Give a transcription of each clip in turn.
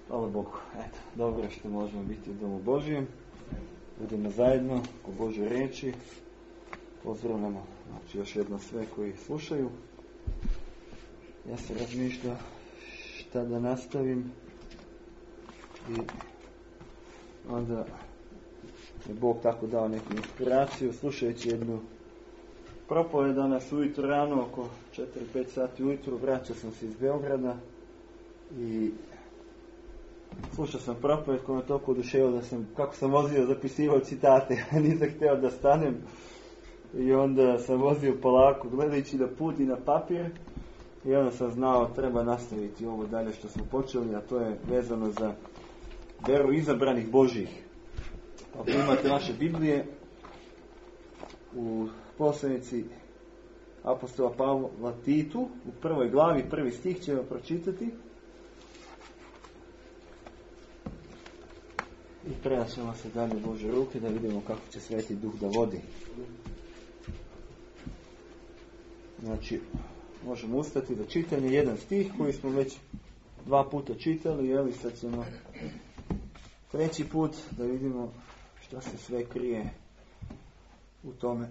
Hvala Bogu. Eto, dobro je što možemo biti u domu Božijem. Budemo zajedno u Božoj riječi. Pozdravljamo još jedno sve koji slušaju. Ja se razmišljam šta da nastavim. I onda je Bog tako dao neku inspiraciju slušajući jednu propoved danas ujutro rano oko 4-5 sati ujutro. Vraćao sam se iz Beograda i slušao sam propoved koja me toliko oduševila da sam, kako sam vozio, zapisivao citate, nisam htio da stanem i onda sam vozio polako gledajući da put i na papir i onda sam znao treba nastaviti ovo dalje što smo počeli, a to je vezano za veru izabranih Božjih. Ako imate vaše Biblije, u poslanici apostola Pavla Titu, u prvoj glavi, prvi stih ćemo pročitati. I prenašamo se dalje u Božje ruke da vidimo kako će Sveti Duh da vodi. Znači, možemo ustati za čitanje jedan stih koji smo već 2 puta čitali, evo i sad ćemo 3. put da vidimo što se sve krije u tome.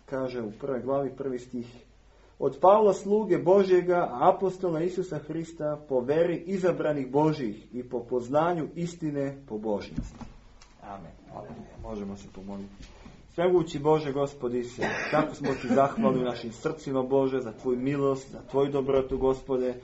Kaže u prvoj glavi, prvi stih. Od Pavla sluge Božjega, apostola Isusa Hrista, po veri izabranih Božjih i po poznanju istine pobožnosti. Amen. Možemo se pomoliti. Svemogući Bože, Gospodi se, tako smo ti zahvalni u našim srcima, Bože, za tvoju milost, za tvoju dobrotu, Gospode.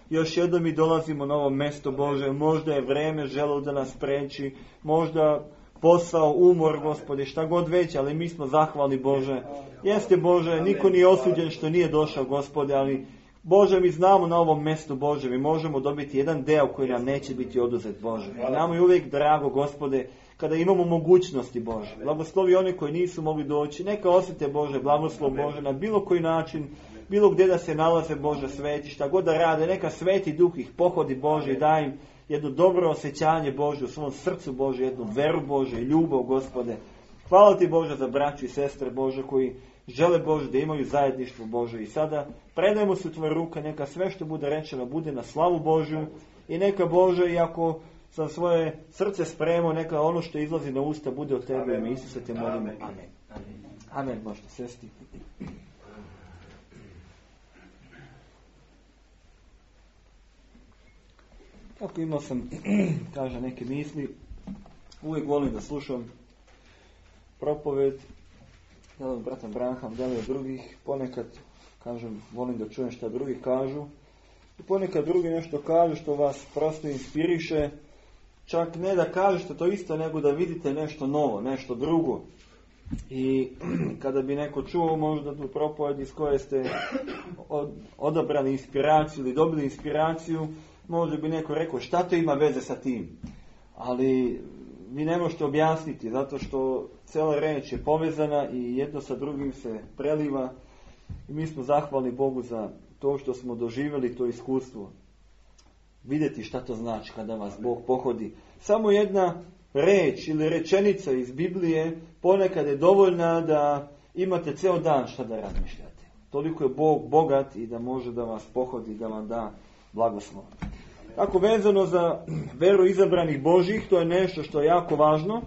Još jednom mi dolazimo na ovo mjesto, Bože, možda je vreme želo da nas preći, možda posao, umor, Gospode, šta god već, ali mi smo zahvalni, Bože. Jeste, Bože, niko nije osuđen što nije došao, Gospode, ali Bože, mi znamo na ovom mjestu, Bože, mi možemo dobiti jedan deo koji nam neće biti oduzet, Bože. Nama je uvijek drago, Gospode, kada imamo mogućnosti, Bože. Blagoslovi oni koji nisu mogli doći, neka osjete, Bože, blagoslov, Bože, na bilo koji način, bilo gdje da se nalaze, Bože, sveti, šta god da rade, neka Sveti Duh ih pohodi, Bože, i daj im jedno dobro osjećanje, Bože, u svom srcu, Bože, jednu veru, Bože, i ljubav, Gospode. Hvala ti, Bože, za braću i sestre, Bože, koji žele, Bože, da imaju zajedništvo, Bože. I sada predajemo se u tvoje ruke, neka sve što bude rečeno bude na slavu Božju i neka, Bože, iako sam svoje srce spremao, neka ono što izlazi na usta bude od tebe. Ime Isuse te molimo. Amen. Amen. Možete sesti. Kako imao sam, kaže, neke misli, uvijek volim da slušam propoved, da li od brata Branham, da li od drugih, ponekad, kažem, volim da čujem šta drugi kažu, i ponekad drugi nešto kažu što vas prosto inspiriše, čak ne da kažete to isto, nego da vidite nešto novo, nešto drugo. I kada bi neko čuo možda tu propoved iz koje ste odabrali inspiraciju ili dobili inspiraciju, možda bi neko rekao šta to ima veze sa tim. Ali vi ne možete objasniti, zato što cijela reč je povezana i jedno sa drugim se preliva. I mi smo zahvalni Bogu za to što smo doživjeli to iskustvo. Vidjeti šta to znači kada vas Bog pohodi. Samo jedna reč ili rečenica iz Biblije ponekad je dovoljna da imate ceo dan šta da razmišljate. Toliko je Bog bogat i da može da vas pohodi, da vam da blagoslov. Tako vezano za veru izabranih Božjih, to je nešto što je jako važno.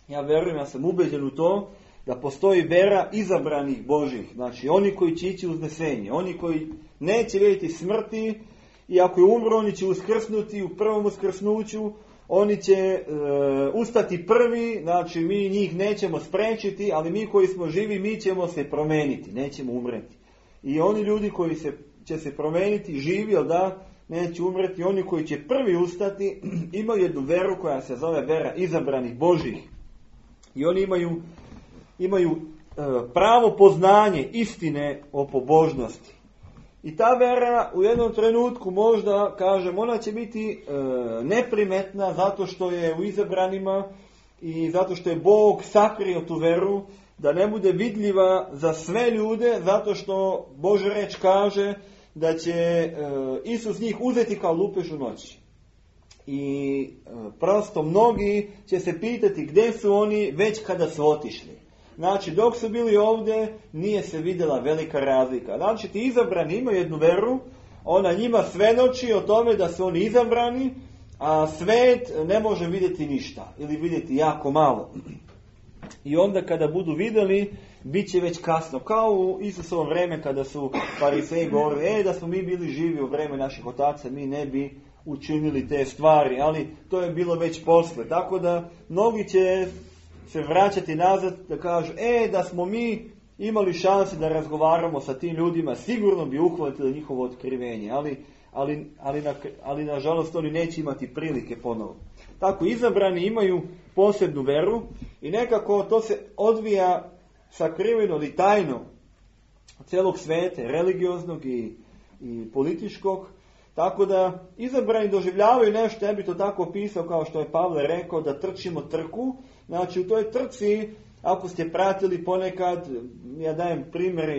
Ja verujem, ja sam ubeđen u to da postoji vera izabranih Božjih. Znači oni koji će ići uznesenje, oni koji neće vidjeti smrti i ako je umro oni će uskrsnuti u prvom uskrsnuću, oni će ustati prvi, znači mi njih nećemo spriječiti, ali mi koji smo živi mi ćemo se promeniti, nećemo umreti. I oni ljudi koji će se promeniti, živi, jel da, neće umreti, oni koji će prvi ustati imaju jednu veru koja se zove vera izabranih Božjih. I oni imaju pravo poznanje istine o pobožnosti. I ta vera u jednom trenutku možda, kažem, ona će biti neprimetna zato što je u izabranima i zato što je Bog sakrio tu veru, da ne bude vidljiva za sve ljude, zato što Božja reč kaže da će Isus njih uzeti kao lupež u noći. I prosto mnogi će se pitati gdje su oni već kada su otišli. Znači, dok su bili ovdje, nije se vidjela velika razlika. Znači, ti izabrani imaju jednu veru, ona njima svedoči o tome da su oni izabrani, a svet ne može vidjeti ništa ili vidjeti jako malo. I onda kada budu vidjeli, bit će već kasno. Kao u Isusovo vreme kada su fariseji govorili, da smo mi bili živi u vreme naših otaca, mi ne bi učinili te stvari, ali to je bilo već posle. Tako da mnogi će se vraćati nazad da kažu, da smo mi imali šanse da razgovaramo sa tim ljudima, sigurno bi uhvatili njihovo otkrivenje, ali nažalost oni neće imati prilike ponovo. Tako izabrani imaju posebnu veru i nekako to se odvija sakriveno ili tajno celog sveta, religioznog i političkog, tako da izabrani doživljavaju nešto, ja bi to tako opisao kao što je Pavle rekao, da trčimo trku. Znači u toj trci, ako ste pratili ponekad, ja dajem primjere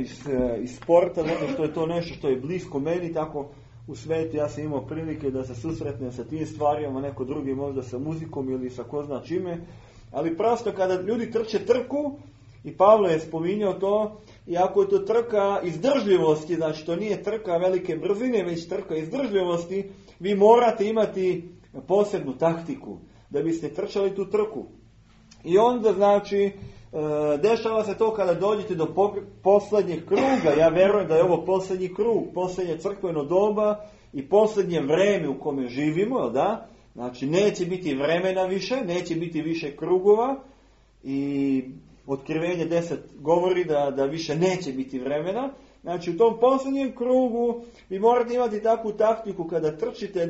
iz sporta, zato što je to nešto što je blisko meni, tako u svijetu ja sam imao prilike da se susretnem sa tim stvarima, neko drugi možda sa muzikom ili sa ko zna čime, ali prosto kada ljudi trče trku, i Pavle je spominjao to, i ako je to trka izdržljivosti, znači to nije trka velike brzine, već trka izdržljivosti, vi morate imati posebnu taktiku da biste trčali tu trku. I onda znači dešava se to kada dođete do posljednjeg kruga. Ja verujem da je ovo posljednji krug, posljednje crkveno doba i posljednje vreme u kome živimo, jel da? Znači neće biti vremena više, neće biti više krugova i Otkrivenje 10 govori da više neće biti vremena. Znači u tom posljednjem krugu vi morate imati takvu taktiku kada trčite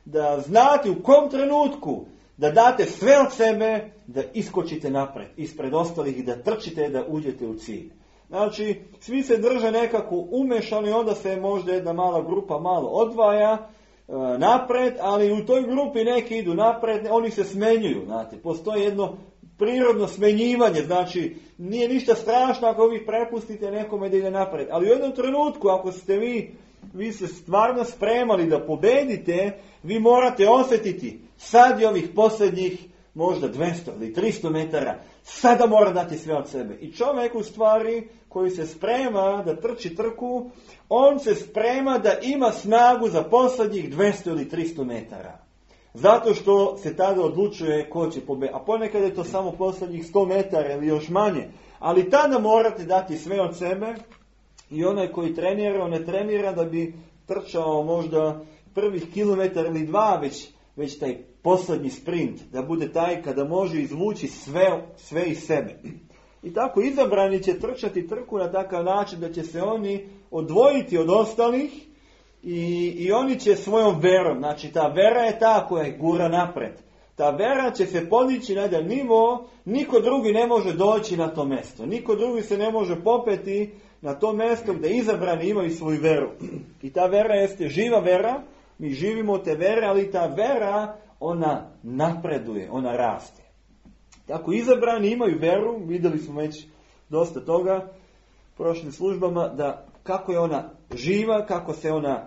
da znate u kom trenutku da date sve od sebe, da iskočite napred, ispred ostalih i da trčite, da uđete u cilj. Znači, svi se drže nekako umešano i onda se možda jedna mala grupa malo odvaja napred, ali u toj grupi neki idu napred, oni se smenjuju, znate. Postoji jedno prirodno smenjivanje, znači nije ništa strašno ako vi prepustite nekome da ide napred. Ali u jednom trenutku, ako ste vi se stvarno spremali da pobedite, vi morate osjetiti sad je ovih posljednjih možda 200 ili 300 metara, sada mora dati sve od sebe. I čovjek u stvari koji se sprema da trči trku, on se sprema da ima snagu za posljednjih 200 ili 300 metara. Zato što se tada odlučuje ko će pobediti. A ponekad je to samo posljednjih 100 metara ili još manje. Ali tada morate dati sve od sebe i onaj koji trenira, on ne trenira da bi trčao možda prvih kilometar ili dva, već taj posljednji sprint, da bude taj kada može izvući sve iz sebe. I tako izabrani će trčati trku na takav način da će se oni odvojiti od ostalih i oni će svojom verom, znači ta vera je ta koja je gura napred. Ta vera će se podići na jedan nivo, niko drugi ne može doći na to mjesto. Niko drugi se ne može popeti na to mjesto gdje izabrani imaju svoju veru. I ta vera jeste živa vera, mi živimo te vere, ali ta vera, ona napreduje, ona raste. Tako izabrani imaju veru, vidjeli smo već dosta toga u prošlim službama, da kako je ona živa, kako se ona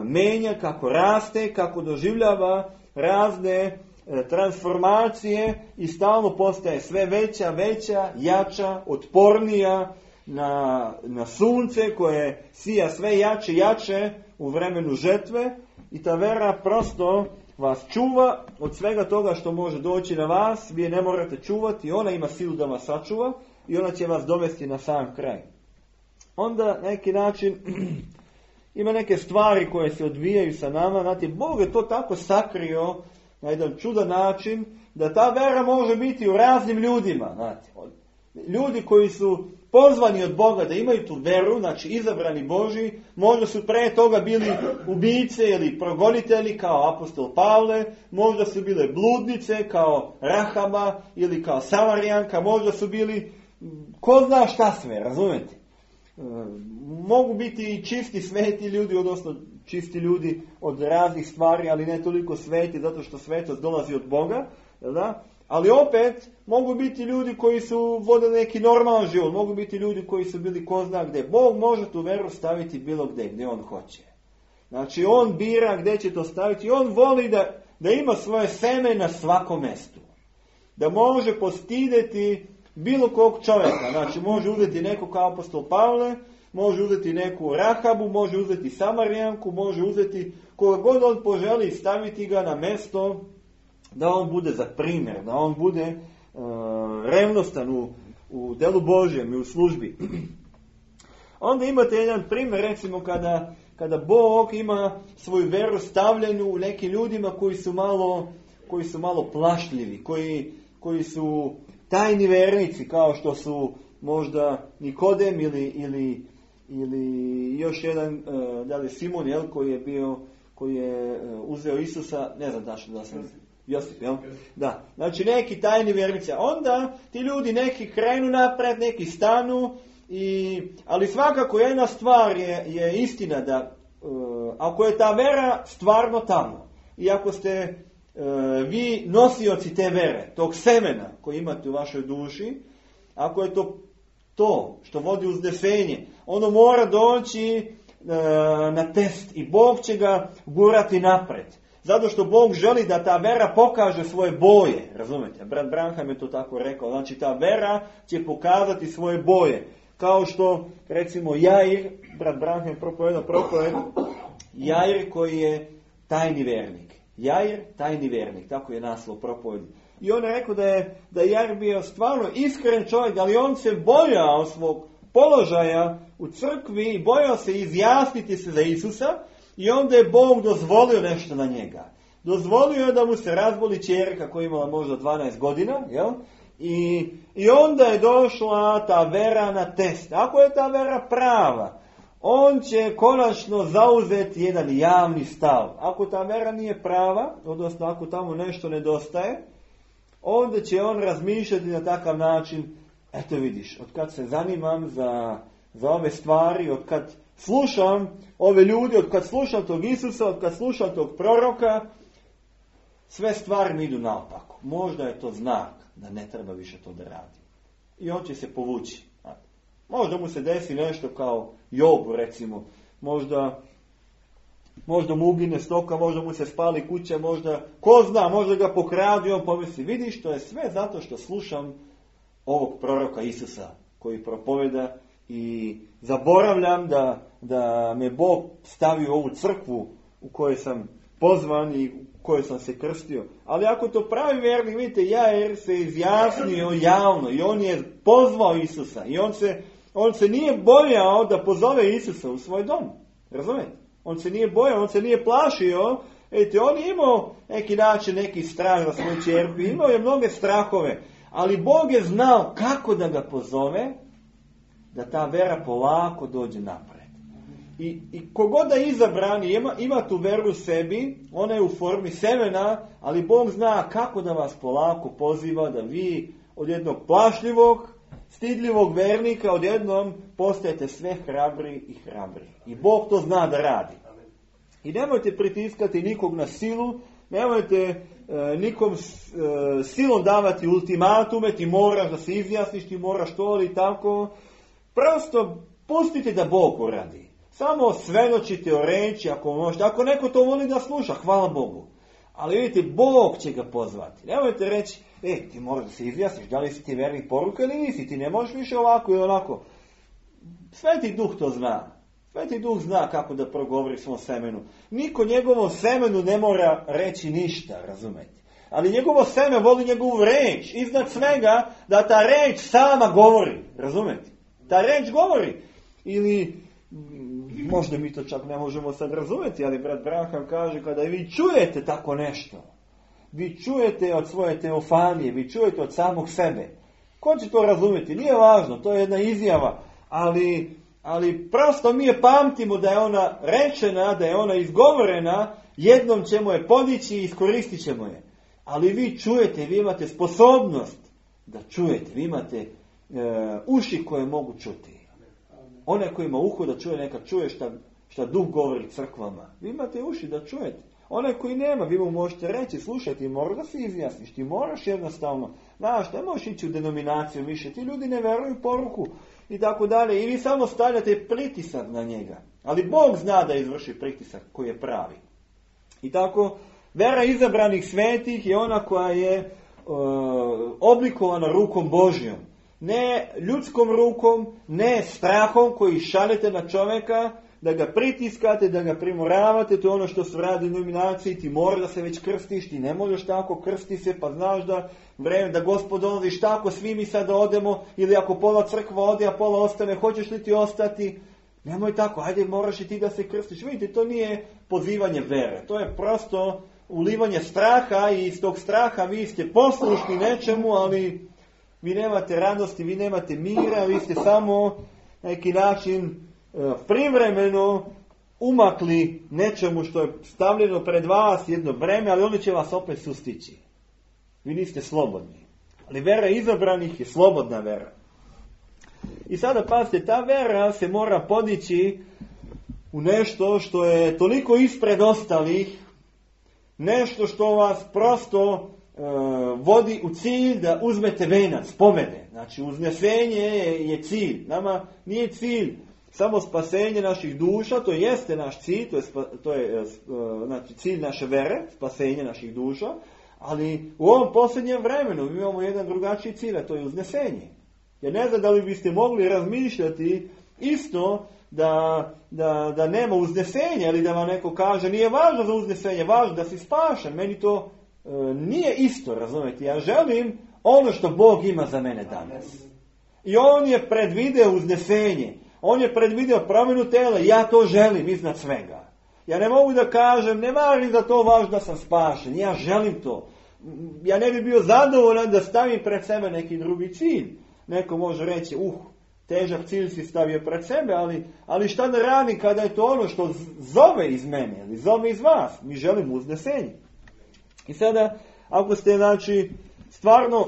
menja, kako raste, kako doživljava razne transformacije i stalno postaje sve veća, jača, otpornija na sunce koje sija sve jače u vremenu žetve i ta vera prosto vas čuva od svega toga što može doći na vas, vi je ne morate čuvati, ona ima silu da vas sačuva i ona će vas dovesti na sam kraj. Onda na neki način ima neke stvari koje se odvijaju sa nama, znate, Bog je to tako sakrio na jedan čudan način da ta vera može biti u raznim ljudima, znate. Ljudi koji su pozvani od Boga da imaju tu veru, znači izabrani Božji, možda su pre toga bili ubice ili progonitelji kao apostol Pavle, možda su bile bludnice kao Rahaba ili kao Samarijanka, možda su bili ko zna šta sve, razumete? Mogu biti i čisti sveti ljudi, odnosno čisti ljudi od raznih stvari, ali ne toliko sveti, zato što svetost dolazi od Boga, da? Ali opet mogu biti ljudi koji su vodili neki normalan život, mogu biti ljudi koji su bili ko zna gdje. Bog može tu veru staviti bilo gdje on hoće. Znači on bira gdje će to staviti i on voli da ima svoje seme na svakom mjestu. Da može postideti bilo kog čovjeka. Znači može uzeti nekog kao apostol Pavle, može uzeti neku Rahabu, može uzeti Samarijanku, može uzeti koga god on poželi, staviti ga na mesto da on bude za primjer, da on bude revnostan u delu Božjem i u službi. Onda imate jedan primjer, recimo kada Bog ima svoju veru stavljenu u nekim ljudima koji su malo plašljivi, koji su tajni vernici, kao što su možda Nikodem ili još jedan, da li Simon, jel, koji je uzeo Isusa, ne znam da sam Josip, jel? Da. Znači neki tajni vjernici. Onda ti ljudi neki krenu napred, neki stanu, ali svakako jedna stvar je istina da ako je ta vera stvarno tamo i ako ste vi nosioci te vere, tog semena koji imate u vašoj duši, ako je to što vodi uznesenje, ono mora doći na test i Bog će ga gurati napred. Zato što Bog želi da ta vera pokaže svoje boje, razumete? Brat Branham je to tako rekao, znači ta vera će pokazati svoje boje. Kao što, recimo, Jair, brat Branham je propovedao propoved, Jair koji je tajni vernik. Jair, tajni vernik, tako je naslov propovedi. I on je rekao da je Jair bio stvarno iskren čovjek, ali on se bojao svog položaja u crkvi i bojao se izjasniti se za Isusa i onda je Bog dozvolio nešto na njega. Dozvolio je da mu se razboli ćerka koja je imala možda 12 godina, jel? I onda je došla ta vera na test. Ako je ta vera prava, on će konačno zauzeti jedan javni stav. Ako ta vera nije prava, odnosno ako tamo nešto nedostaje, onda će on razmišljati na takav način. Eto vidiš, od kad se zanimam za ove stvari, od kad slušam ove ljudi, od kad slušam tog Isusa, od kad slušam tog proroka, sve stvari mi idu naopako. Možda je to znak da ne treba više to da radi. I on će se povući. Možda mu se desi nešto kao Jobu, recimo. Možda mu ugine stoka, možda mu se spali kuća, ko zna, možda ga pokradi, on pomisli, vidiš, to je sve zato što slušam ovog proroka Isusa koji propoveda i zaboravljam da me Bog stavi u ovu crkvu u kojoj sam pozvan i u kojoj sam se krstio. Ali ako to pravi vjernik, vidite, Jair se izjasnio javno i on je pozvao Isusa i on se nije bojao da pozove Isusa u svoj dom. Razumijete? On se nije bojao, on se nije plašio. Vidite, on je imao neki način, neki strah za svoju ćerku, imao je mnoge strahove, ali Bog je znao kako da ga pozove, da ta vera polako dođe napred. I kogod da je izabran ima tu veru u sebi, ona je u formi semena, ali Bog zna kako da vas polako poziva da vi od jednog plašljivog, stidljivog vernika odjednom postajete sve hrabri i hrabri. I Bog to zna da radi. I nemojte pritiskati nikog na silu, nemojte nikom silom davati ultimatume, ti moraš da se izjasniš, ti moraš to ili tako. Prosto pustite da Bog uradi. Samo svedočite o reči ako možete. Ako neko to voli da sluša, hvala Bogu. Ali vidite, Bog će ga pozvati. Nemojte reći, ti moraš da se izjasniš, da li si ti vernik poruka ili nisi, ti ne možeš više ovako ili onako. Sveti Duh to zna. Sveti Duh zna kako da progovori svom semenu. Niko njegovom semenu ne mora reći ništa, razumete. Ali njegovo seme voli njegovu reč. Iznad svega da ta reč sama govori, razumete. Ta reč govori. Ili, možda mi to čak ne možemo sad razumjeti, ali brat Branham kaže, kada vi čujete tako nešto, vi čujete od svoje teofanije, vi čujete od samog sebe. Ko će to razumjeti? Nije važno, to je jedna izjava, ali prosto mi je pamtimo da je ona rečena, da je ona izgovorena, jednom ćemo je podići i iskoristit ćemo je. Ali vi čujete, vi imate sposobnost da čujete, vi imate uši koje mogu čuti. Onaj koji ima uho da čuje, neka čuje šta Duh govori crkvama. Vi imate uši da čujete. Onaj koji nema, vi mu možete reći, slušaj, ti moraš da se izjasniš, ti moraš jednostavno, znaš, ne možeš ići u denominaciju više, ti ljudi ne veruju poruku i tako dalje. I vi samo stavljate pritisak na njega. Ali Bog zna da izvrši pritisak koji je pravi. I tako, vera izabranih svetih je ona koja je oblikovana rukom Božjom. Ne ljudskom rukom, ne strahom koji šaljete na čovjeka, da ga pritiskate, da ga primoravate, to je ono što se radi u nominaciji, ti moraš da se već krstiš, ti ne možeš tako, krsti se, pa znaš da vreme, da Gospod dolazi, šta ako svi mi sada odemo, ili ako pola crkva ode, a pola ostane, hoćeš li ti ostati? Nemoj tako, ajde, moraš i ti da se krstiš. Vidite, to nije pozivanje vere, to je prosto ulivanje straha i iz tog straha vi ste poslušni nečemu, ali vi nemate radosti, vi nemate mira, vi ste samo na neki način privremeno umakli nečemu što je stavljeno pred vas, jedno breme, ali ono će vas opet sustići. Vi niste slobodni. Ali vera izabranih je slobodna vera. I sada pazite, ta vera se mora podići u nešto što je toliko ispred ostalih, nešto što vas prosto vodi u cilj da uzmete venac, pobede. Znači, uznesenje je cilj. Nama nije cilj samo spasenje naših duša, to jeste naš cilj, to je znači, cilj naše vere, spasenje naših duša, ali u ovom posljednjem vremenu mi imamo jedan drugačiji cilj, a to je uznesenje. Jer ne znam da li biste mogli razmišljati isto da nema uznesenja, ili da vam neko kaže nije važno za uznesenje, važno da si spašen. Meni to nije isto, razumijete. Ja želim ono što Bog ima za mene danas. I on je predvideo uznesenje. On je predvideo promjenu tela. Ja to želim iznad svega. Ja ne mogu da kažem, ne važno za to važno da sam spašen. Ja želim to. Ja ne bi bio zadovoljan da stavim pred sebe neki drugi cilj. Neko može reći, težak cilj si stavio pred sebe, ali šta da radim kada je to ono što zove iz mene, ili zove iz vas? Mi želimo uznesenje. I sada, ako ste, znači, stvarno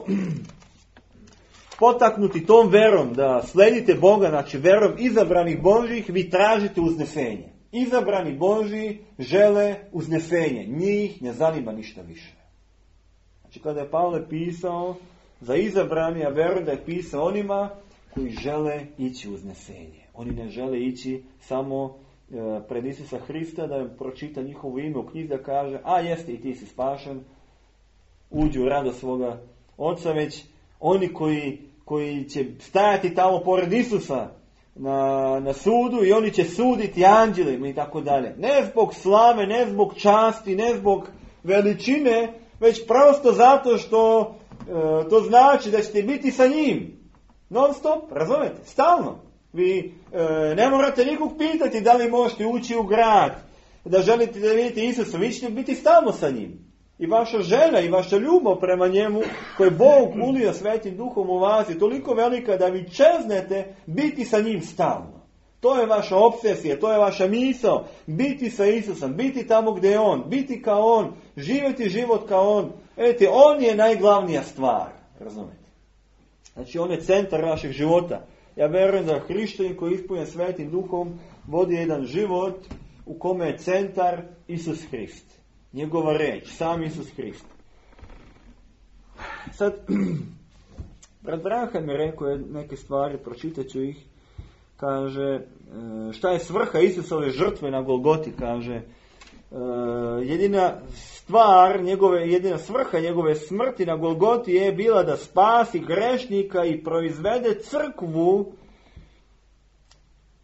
potaknuti tom verom da sledite Boga, znači verom izabranih Božjih, vi tražite uznesenje. Izabrani Božji žele uznesenje. Njih ne zanima ništa više. Znači, kada je Pavle pisao za izabrani, ja verujem da je pisao onima koji žele ići uznesenje. Oni ne žele ići samo pred Isusa Hrista da im pročita njihovo ime u knjizi, da kaže, jeste i ti si spašen, uđi u radost svoga Oca, već oni koji će stajati tamo pored Isusa na sudu i oni će suditi anđelima i tako dalje. Ne zbog slave, ne zbog časti, ne zbog veličine, već prosto zato što to znači da ćete biti sa njim. Non stop, razumete? Stalno. Vi ne morate nikog pitati da li možete ući u grad, da želite da vidite Isusa, vi ćete biti stalno sa njim. I vaša želja i vaša ljubav prema njemu, koje Bog ulio Svetim Duhom u vas, je toliko velika da vi čeznete biti sa njim stalno. To je vaša obsesija, to je vaša misao, biti sa Isusom, biti tamo gdje je On, biti kao On, živjeti život kao On. Vidite, On je najglavnija stvar, razumete? Znači, On je centar našeg života. Ja vjerujem da hrišćanin koji je ispunjen Svetim Duhom vodi jedan život u kome je centar Isus Hrist. Njegova reč, sam Isus Hrist. Sad, brat Branham je rekao neke stvari, pročitat ću ih. Kaže, šta je svrha Isusove žrtve na Golgoti, kaže, jedina svrha njegove smrti na Golgoti je bila da spasi grešnika i proizvede crkvu,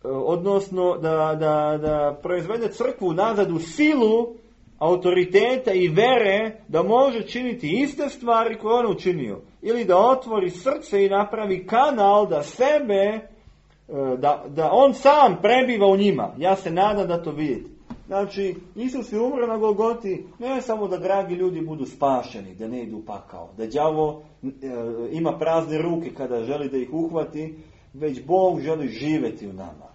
odnosno da proizvede crkvu nazad u silu autoriteta i vere da može činiti iste stvari koje on učinio. Ili da otvori srce i napravi kanal da sebe, da on sam prebiva u njima. Ja se nadam da to vidite. Znači, Isus je umro na Golgoti, ne samo da dragi ljudi budu spašeni, da ne idu u pakao, da đavo ima prazne ruke kada želi da ih uhvati, već Bog želi živjeti u nama.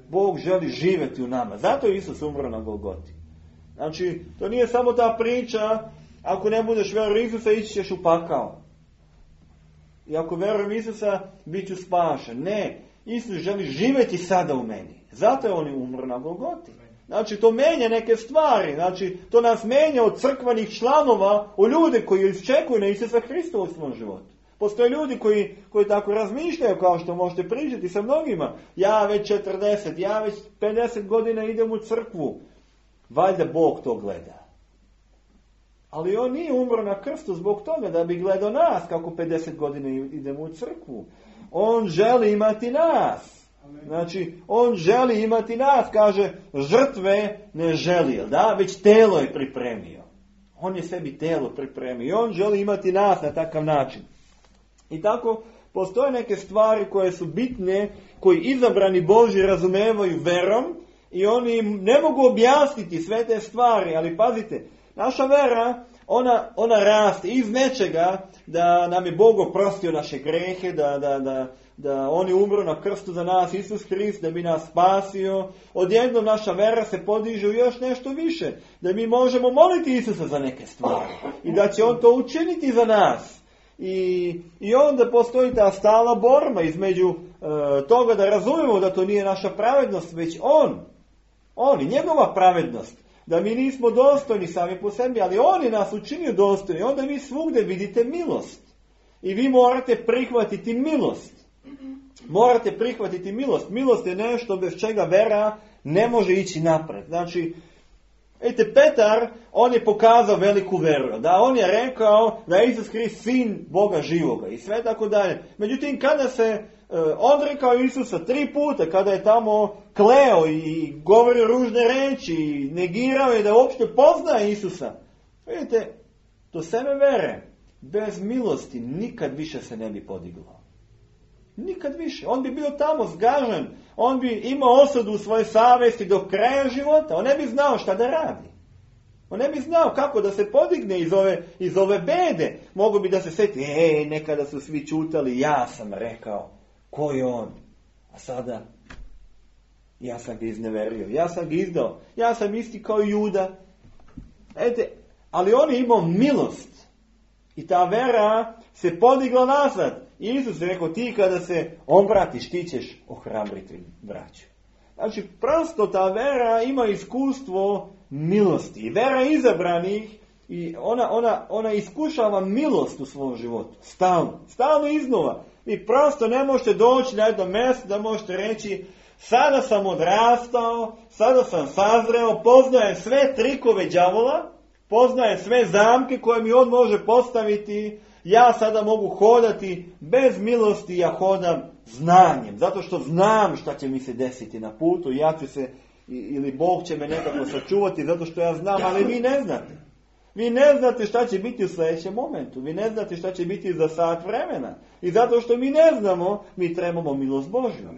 Bog želi živjeti u nama. Zato je Isus umro na Golgoti. Znači, to nije samo ta priča, ako ne budeš vjerovao Isusa, ići ćeš u pakao. I ako vjerujem Isusa, bit ću spašen. Ne, Isus želi živjeti sada u meni. Zato je on umro na Golgoti. Znači, to menja neke stvari. Znači, to nas menja od crkvenih članova u ljude koji iščekuju na Isusa Hrista u svom životu. Postoje ljudi koji tako razmišljaju, kao što možete pričati sa mnogima. Ja već 40, ja već 50 godina idem u crkvu. Valjda Bog to gleda. Ali on nije umro na krstu zbog toga da bi gledao nas kako 50 godina idemo u crkvu. On želi imati nas. Znači, on želi imati nas, kaže, žrtve ne želi, da? Već telo je pripremio. On je sebi telo pripremio i on želi imati nas na takav način. I tako postoje neke stvari koje su bitne, koji izabrani Božji razumevaju verom i oni im ne mogu objasniti sve te stvari, ali pazite, naša vera, ona raste iz nečega da nam je Bog oprostio naše grehe, da on je umro na krstu za nas, Isus Hrist, da bi nas spasio. Odjednom naša vera se podiže u još nešto više, da mi možemo moliti Isusa za neke stvari i da će on to učiniti za nas. I onda postoji ta stalna borba između toga da razumemo da to nije naša pravednost, već on i njegova pravednost. Da mi nismo dostojni sami po sebi, ali on je nas učinio dostojni. Onda vi svugdje vidite milost. I vi morate prihvatiti milost. Morate prihvatiti milost. Milost je nešto bez čega vera ne može ići napred. Znači, vidite, Petar, on je pokazao veliku veru. Da, on je rekao da je Isus Hrist sin Boga živoga i sve tako dalje. Međutim, kada se odrekao Isusa 3 puta, kada je tamo kleo i govorio ružne reči i negirao je da uopšte poznaje Isusa, vidite, to seme vere bez milosti nikad više se ne bi podiglo. Nikad više. On bi bio tamo zgažen. On bi imao osudu u svojoj savjesti do kraja života. On ne bi znao šta da radi. On ne bi znao kako da se podigne iz ove bede. Mogu bi da se sjeti, nekada su svi čutali, ja sam rekao, ko je on? A sada, ja sam ga izneverio, ja sam ga izdao, ja sam isti kao Juda. Ali on je imao milost. I ta vera se podigla nazad. I Isus je rekao, ti kada se obratiš, ti ćeš ohrabriti braću. Znači, prosto ta vera ima iskustvo milosti. I vera izabranih, i ona iskušava milost u svom životu. Stalno iznova. Vi prosto ne možete doći na jedno mjesto da možete reći, sada sam odrastao, sada sam sazreo, poznajem sve trikove đavola, poznajem sve zamke koje mi on može postaviti. Ja sada mogu hodati bez milosti, ja hodam znanjem. Zato što znam šta će mi se desiti na putu. Ja ću se, ili Bog će me nekako sačuvati zato što ja znam, ali vi ne znate. Vi ne znate šta će biti u sljedećem momentu. Vi ne znate šta će biti za sat vremena. I zato što mi ne znamo, mi trebamo milost Božju.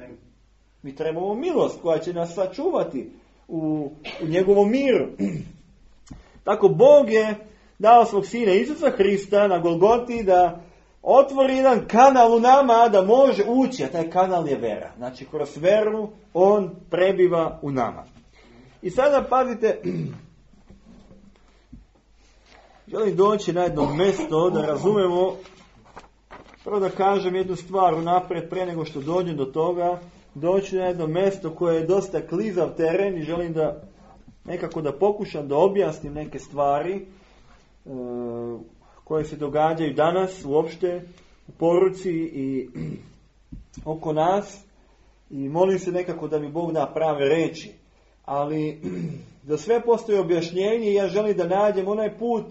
Mi trebamo milost koja će nas sačuvati u njegovom miru. Tako Bog je dao svog sina Isusa Hrista na Golgoti da otvori jedan kanal u nama da može ući, a taj kanal je vera. Znači, kroz veru on prebiva u nama. I sada pazite, želim doći na jedno mjesto da razumemo, prvo da kažem jednu stvar unaprijed prije nego što dođem do toga, doći na jedno mjesto koje je dosta klizav teren i želim da nekako da pokušam da objasnim neke stvari koje se događaju danas uopšte u poruci i oko nas i molim se nekako da mi Bog da prave reči. Ali za sve postoji objašnjenje i ja želim da nađem onaj put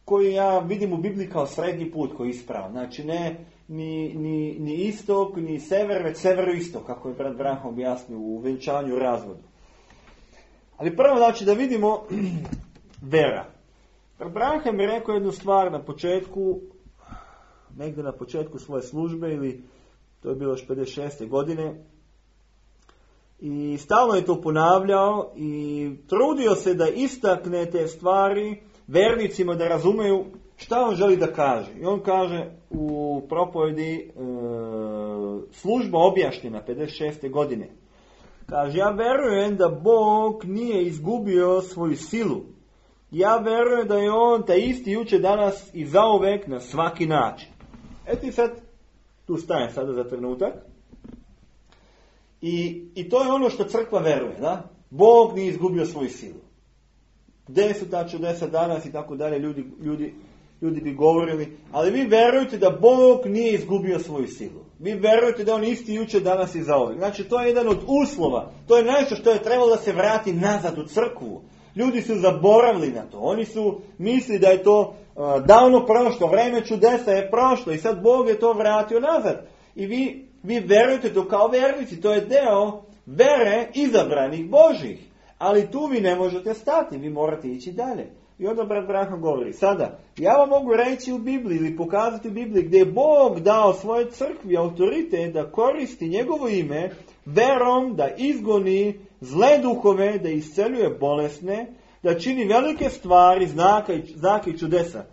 koji ja vidim u Bibliji kao srednji put koji je ispravan. Znači ne ni istok, ni sever, već severoistok, kako je brat Branham objasnio u venčanju razvodu. Ali prvo znači da vidimo vera. Branham je rekao jednu stvar na početku, negdje na početku svoje službe, ili to je bilo još 56. godine, i stalno je to ponavljao i trudio se da istakne te stvari vernicima da razumeju šta on želi da kaže. I on kaže u propovedi služba objašnjena 56. godine. Kaže, ja verujem da Bog nije izgubio svoju silu. Ja verujem da je on taj isti jučer, danas i zauvek na svaki način. Eto i sad, tu stajem sada za trenutak. I to je ono što crkva veruje, da? Bog nije izgubio svoju silu. Gdje su ta čudesa danas i tako dalje, ljudi bi govorili, ali vi verujete da Bog nije izgubio svoju silu. Vi verujete da on isti jučer, danas i zauvek. Znači, to je jedan od uslova. To je nešto što je trebalo da se vrati nazad u crkvu. Ljudi su zaboravili na to. Oni su mislili da je to davno prošlo. Vreme čudesa je prošlo i sad Bog je to vratio nazad. I vi Vi verujete to kao vernici, to je deo vere izabranih Božih. Ali tu vi ne možete stati, vi morate ići dalje. I onda brat Branham govori, sada, ja vam mogu reći u Bibliji ili pokazati u Bibliji gdje je Bog dao svojoj crkvi autoritet da koristi njegovo ime verom, da izgoni zle duhove, da isceljuje bolesne, da čini velike stvari, znake i čudesa.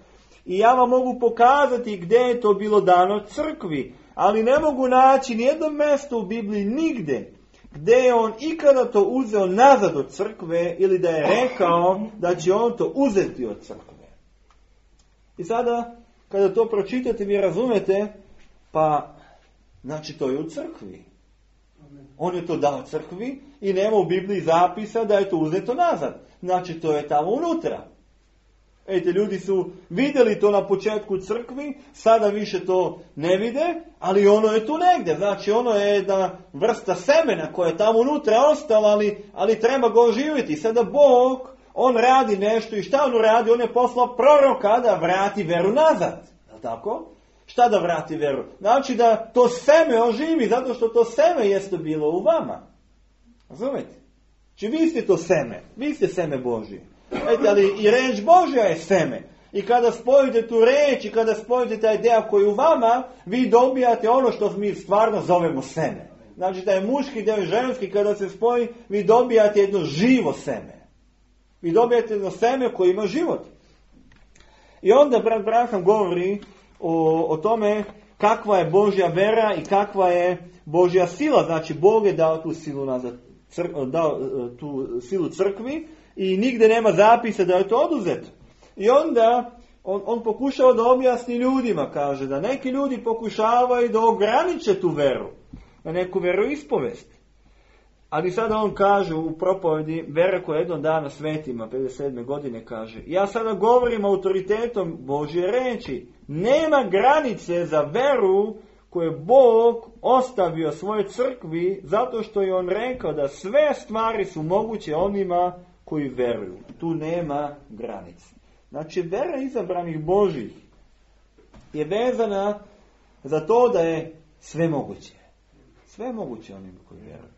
I ja vam mogu pokazati gdje je to bilo dano crkvi, ali ne mogu naći nijedno mjesto u Bibliji nigde gdje je on ikada to uzeo nazad od crkve ili da je rekao da će on to uzeti od crkve. I sada, kada to pročitate, vi razumete, pa, znači to je u crkvi. On je to dao crkvi i nema u Bibliji zapisa da je to uzeto nazad. Znači to je tamo unutra. Ejte, ljudi su vidjeli to na početku crkvi, sada više to ne vide, ali ono je tu negdje. Znači ono je jedna vrsta semena koja je tamo unutra ostala, ali treba ga oživjeti. Sada Bog, on radi nešto i šta on radi? On je poslao proroka da vrati veru nazad. Je li tako? Šta da vrati veru? Znači da to seme oživi, zato što to seme jeste bilo u vama. Razumete? Znači vi ste to seme, vi ste seme Božje. Ali i reč Božja je seme. I kada spojite tu reč i kada spojite taj deo koji je u vama, vi dobijate ono što mi stvarno zovemo seme. Znači taj muški deo i ženski kada se spoji, vi dobijate jedno živo seme. Vi dobijate jedno seme koje ima život. I onda brat Branham govori o tome kakva je Božja vera i kakva je Božja sila. Znači Bog je dao tu silu nazad, dao tu silu crkvi i nigdje nema zapisa da je to oduzeto. I onda on pokušava da objasni ljudima, kaže da neki ljudi pokušavaju da ograniče tu veru, na neku veroispovest. Ali sada on kaže u propovedi vera koja je jednog dana svetima, 57. godine kaže, ja sada govorim autoritetom Božje reči, nema granice za veru koju je Bog ostavio svojoj crkvi, zato što je on rekao da sve stvari su moguće onima koji veruju. Tu nema granice. Znači, vera izabranih Božih je vezana za to da je sve moguće. Sve moguće onima koji veruju.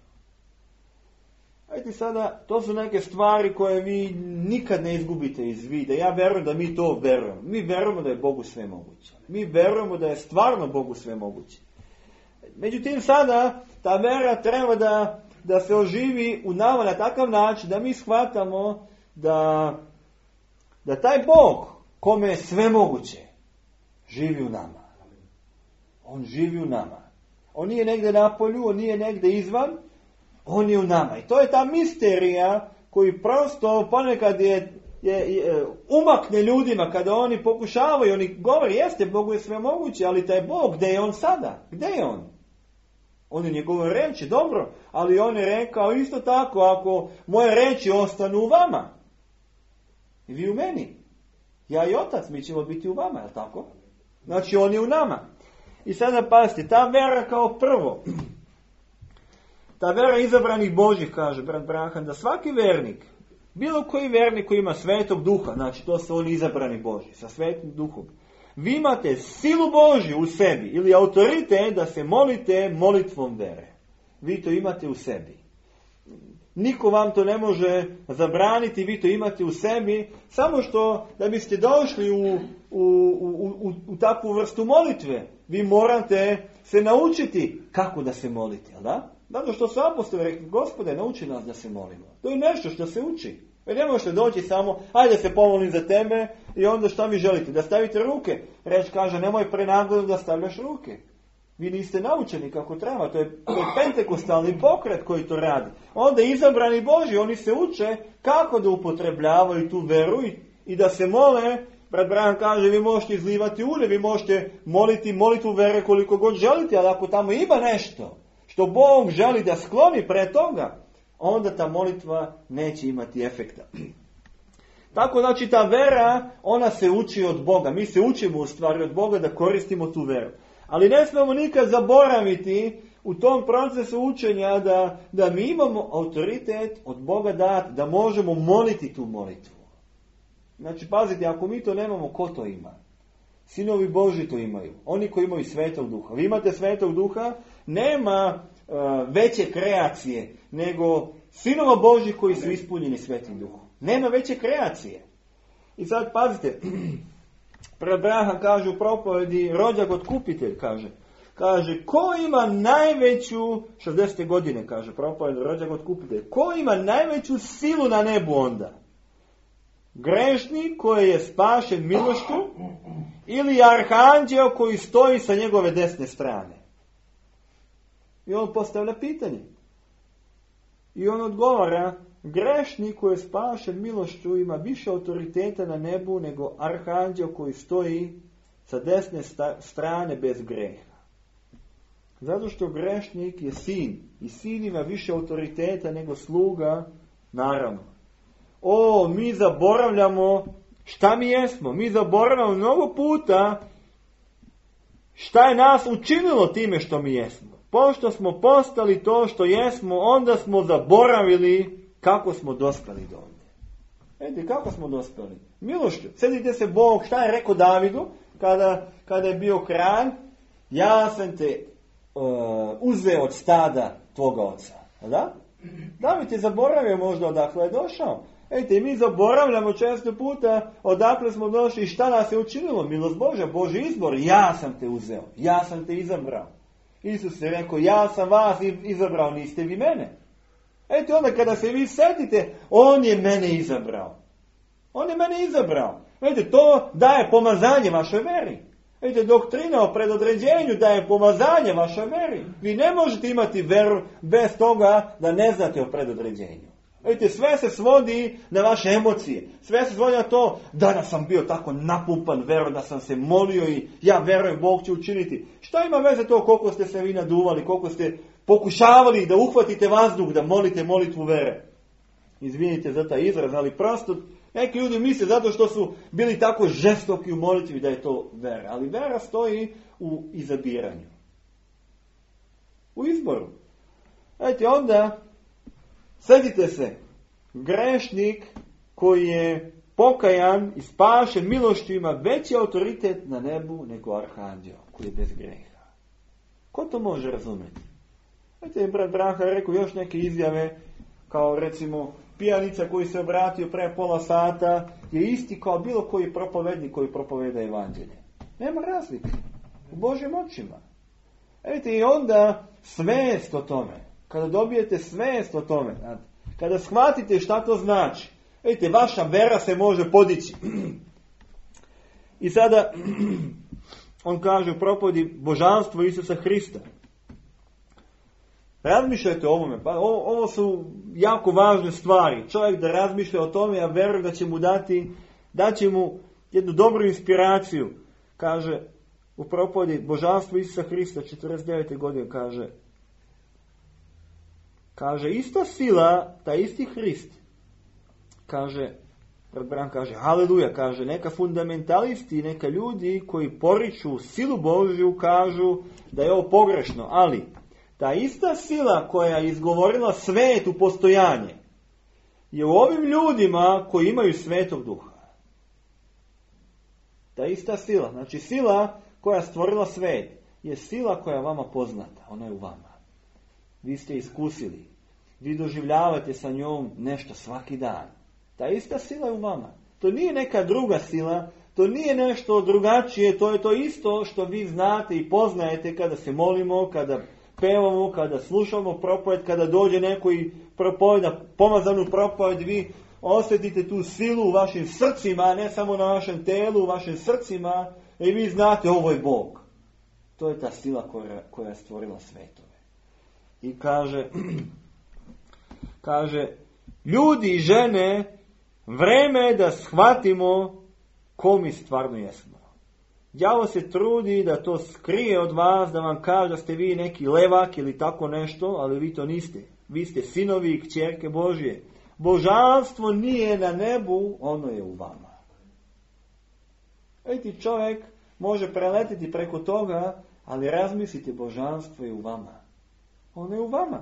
Ajde sada, to su neke stvari koje vi nikad ne izgubite iz vida. Ja verujem da mi to verujemo. Mi verujemo da je Bogu sve moguće. Mi verujemo da je stvarno Bogu sve moguće. Međutim, sada ta vera treba da se oživi u nama na takav način da mi shvatamo da taj Bog, kome je sve moguće, živi u nama. On živi u nama. On nije negdje na polju, on nije negdje izvan, on je u nama. I to je ta misterija koji prosto ponekad je umakne ljudima kada oni pokušavaju, oni govore, jeste, Bogu je sve moguće, ali taj Bog, gdje je on sada? Gdje je on? On je njegove reči, dobro, ali on je rekao isto tako, ako moje reči ostanu u vama, i vi u meni, ja i Otac, mi ćemo biti u vama, je li tako? Znači, on je u nama. I sada pazite, ta vera kao prvo, ta vera izabranih Božih, kaže brat Branham, da svaki vernik, bilo koji vernik koji ima svetog duha, znači to su oni izabrani Božji, sa svetim duhom, vi imate silu Božju u sebi ili autoritet da se molite molitvom vere. Vi to imate u sebi. Niko vam to ne može zabraniti, vi to imate u sebi, samo što da biste došli u takvu vrstu molitve, vi morate se naučiti kako da se molite, jel da? Zato što su apostoli rekli, Gospode, nauči nas da se molimo. To je nešto što se uči. Jer ne možete doći samo, ajde se pomolim za tebe i onda šta vi želite? Da stavite ruke. Reč kaže, nemoj prenaglo da stavljaš ruke. Vi niste naučeni kako treba. To je pentekostalni pokret koji to radi. Onda izabrani Boži, oni se uče kako da upotrebljavaju tu veru i da se mole. Brat Branham kaže, vi možete izlivati ulje, vi možete moliti molitvu vere koliko god želite, ali ako tamo ima nešto što Bog želi da skloni pre toga, onda ta molitva neće imati efekta. Tako znači ta vera, ona se uči od Boga. Mi se učimo u stvari od Boga da koristimo tu veru. Ali ne smemo nikad zaboraviti u tom procesu učenja da mi imamo autoritet od Boga da možemo moliti tu molitvu. Znači pazite, ako mi to nemamo, ko to ima? Sinovi Božji to imaju. Oni koji imaju Svetog Duha. Vi imate Svetog Duha, nema veće kreacije nego sinova Božji koji su ispunjeni Svetim Duhom. Nema veće kreacije. I sad pazite, pred Abraham kaže u propovedi, rođak otkupitelj, kaže, ko ima najveću, 60. godine, kaže propoved, rođak otkupitelj, ko ima najveću silu na nebu onda? Grešnik koji je spašen milošću ili arhanđeo koji stoji sa njegove desne strane? I on postavlja pitanje. I on odgovara, grešnik koji je spašen milošću ima više autoriteta na nebu nego arhanđeo koji stoji sa desne strane bez greha. Zato što grešnik je sin i sin ima više autoriteta nego sluga, naravno. Mi zaboravljamo šta mi jesmo. Mi zaboravljamo mnogo puta šta je nas učinilo time što mi jesmo. Pošto smo postali to što jesmo, onda smo zaboravili kako smo dospjeli do ovdje. Vidite, kako smo dospjeli? Milošću. Sjetite se Bog, šta je rekao Davidu kada je bio kralj? Ja sam te uzeo od stada tvoga oca. Da? David je zaboravio možda odakle je došao. Vidite, mi zaboravljamo često puta odakle smo došli i šta nas je učinilo. Milost Božja, Božji izbor. Ja sam te uzeo. Ja sam te izabrao. Isus je rekao, ja sam vas izabrao, niste vi mene. Eto onda kada se vi setite, on je mene izabrao. On je mene izabrao. Vidite, to daje pomazanje vašoj veri. Vidite, doktrina o predodređenju daje pomazanje vašoj veri. Vi ne možete imati veru bez toga da ne znate o predodređenju. Vidite, sve se svodi na vaše emocije. Sve se svodi na to, danas sam bio tako napumpan verom da sam se molio i ja verujem Bog će učiniti. Šta ima veze to koliko ste se vi naduvali, koliko ste pokušavali da uhvatite vazduh, da molite molitvu vere. Izvinite za taj izraz, ali prosto neki ljudi misle zato što su bili tako žestoki u molitvi da je to vera. Ali vera stoji u izabiranju. U izboru. Znate, onda sjetite se, grešnik koji je pokajan i spašen milošću ima veći autoritet na nebu nego arhanđeo koji je bez greha. Ko to može razumjeti? Znate, brat Branha je rekao još neke izjave, kao recimo pijanica koji se obratio pre pola sata je isti kao bilo koji propovednik koji propoveda evanđelje. Nema razlike u Božjim očima. Vidite, i onda svest o tome, kada dobijete svest o tome, kada shvatite šta to znači, vidite, vaša vera se može podići. I sada on kaže u propovedi božanstvo Isusa Hrista. Razmišljajte o ovome. Pa ovo su jako važne stvari. Čovjek da razmišlja o tome, ja verujem da će mu daće mu jednu dobru inspiraciju. Kaže u propovedi božanstvo Isusa Hrista 49. godine kaže ista sila, ta isti Hrist. Kaže haleluja, kaže neka fundamentalisti, neka ljudi koji poriču silu Božju kažu da je ovo pogrešno, ali ta ista sila koja je izgovorila svet u postojanje je u ovim ljudima koji imaju Svetog Duha. Ta ista sila, znači sila koja je stvorila svet, je sila koja je vama poznata, ona je u vama. Vi ste iskusili, vi doživljavate sa njom nešto svaki dan. Ta ista sila je u vama. To nije neka druga sila, to nije nešto drugačije, to je to isto što vi znate i poznajete kada se molimo, kada pevamo, kada slušamo propoved, kada dođe neko i propoveda, pomazanu propoved, vi osjetite tu silu u vašim srcima, ne samo na vašem telu, u vašim srcima, i vi znate ovo je Bog. To je ta sila koja je stvorila svetove. I kaže, ljudi i žene, vreme je da shvatimo ko mi stvarno jesmo. Đavo se trudi da to skrije od vas, da vam kaže da ste vi neki levak ili tako nešto, ali vi to niste. Vi ste sinovi i kćerke Božje. Božanstvo nije na nebu, ono je u vama. Vidite, čovjek može preletiti preko toga, ali razmislite, božanstvo je u vama. Ono je u vama.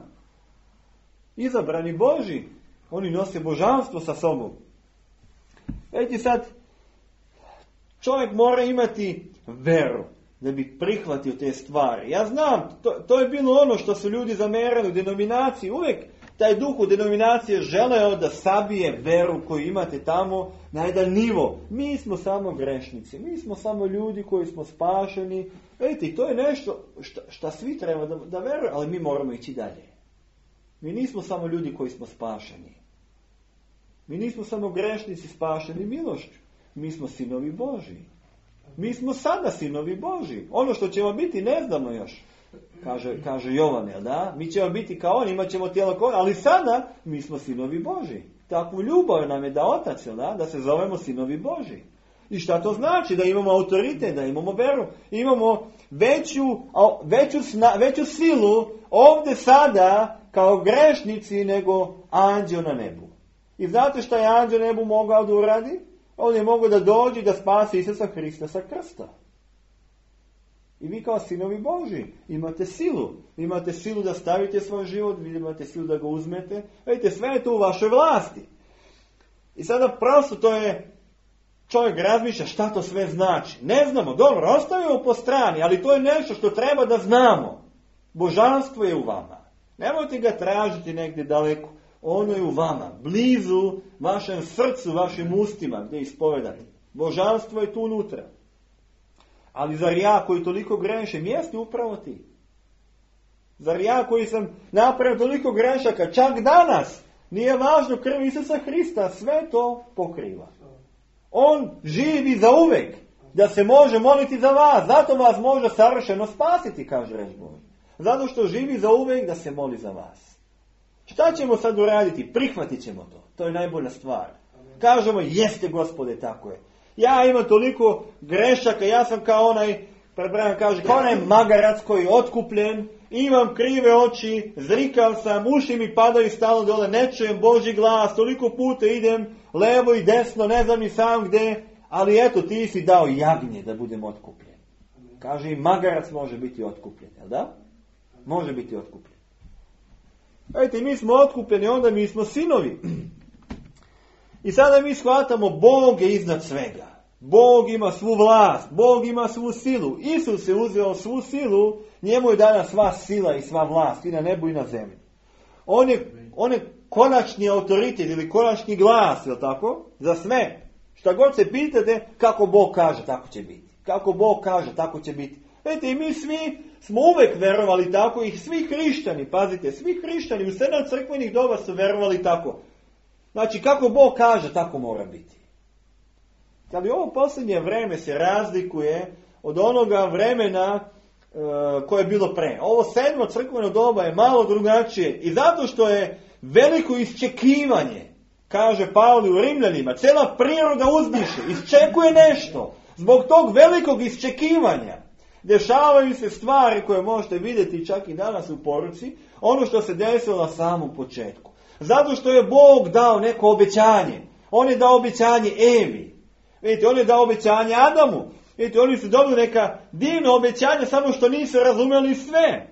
Izabrani Božji, oni nose božanstvo sa sobom. Vidite sad, Čovjek mora imati veru da bi prihvatio te stvari. Ja znam, to je bilo ono što su ljudi zamerali u denominaciji. Uvijek taj duh u denominacije želeo da sabije veru koju imate tamo na jedan nivo. Mi smo samo grešnici, mi smo samo ljudi koji smo spašeni. Vidite, to je nešto što svi treba da veruju, ali mi moramo ići dalje. Mi nismo samo ljudi koji smo spašeni. Mi nismo samo grešnici spašeni milošću. Mi smo sinovi Božji. Mi smo sada sinovi Božji. Ono što ćemo biti ne znamo još. Kaže Jovan, jel da? Mi ćemo biti kao oni, imat ćemo tijelo kao oni, ali sada mi smo sinovi Božji. Takvu ljubav nam je da Otac, jel da? Da se zovemo sinovi Božji. I šta to znači? Da imamo autoritet, da imamo veru. Imamo veću silu ovdje sada kao grešnici nego anđeo na nebu. I znate šta je anđeo na nebu mogao da uradi? On je mogao da dođe i da spasi Isusa Hrista sa krsta. I vi kao sinovi Božji imate silu. Imate silu da stavite svoj život, vi imate silu da ga uzmete. Vidite, sve je to u vašoj vlasti. I sada prosto to je, čovjek razmišlja šta to sve znači. Ne znamo, dobro, ostavimo po strani, ali to je nešto što treba da znamo. Božanstvo je u vama. Nemojte ga tražiti negdje daleko. Ono je u vama, blizu vašem srcu, vašim ustima gdje ispovedate. Božanstvo je tu unutra. Ali zar ja koji toliko grešim, jeste upravo ti? Zar ja koji sam napravio toliko grešaka, čak danas, nije važno, krv Isusa Hrista sve to pokriva. On živi za uvek, da se može moliti za vas, zato vas može savršeno spasiti, kaže reč Božja. Zato što živi za uvek da se moli za vas. Šta ćemo sad uraditi? Prihvatit ćemo to. To je najbolja stvar. Kažemo, jeste Gospode, tako je. Ja imam toliko grešaka, ja sam kao onaj, kao onaj magarac koji je otkupljen, imam krive oči, zrikav sam, uši mi padaju stalno dole, ne čujem Božji glas, toliko puta idem, levo i desno, ne znam ni sam gde, ali eto, ti si dao jagnje da budem otkupljen. Kaže, i magarac može biti otkupljen, jel da? Može biti otkupljen. Vidite, mi smo otkupljeni, onda mi smo sinovi. I sada mi shvatamo, Bog je iznad svega. Bog ima svu vlast, Bog ima svu silu. Isus je uzeo svu silu, njemu je dana sva sila i sva vlast, i na nebu i na zemlji. On je konačni autoritet ili konačni glas, je li tako? Za sve. Šta god se pitate, kako Bog kaže, tako će biti. Kako Bog kaže, tako će biti. Vidite, i mi svi smo uvek verovali tako, i svi hrišćani, pazite, svi hrišćani u 7 crkvenih doba su verovali tako. Znači, kako Bog kaže, tako mora biti. Ali ovo posljednje vreme se razlikuje od onoga vremena koje je bilo pre. Ovo 7. crkveno doba je malo drugačije i zato što je veliko iščekivanje, kaže Pavle u Rimljanima, cela priroda uzdiše, iščekuje nešto. Zbog tog velikog iščekivanja dešavaju se stvari koje možete vidjeti čak i danas u poruci, ono što se desilo na samom početku. Zato što je Bog dao neko obećanje. On je dao obećanje Evi. Vidite, on je dao obećanje Adamu. Vidite, oni su dobili neka divna obećanja, samo što nisu razumjeli sve.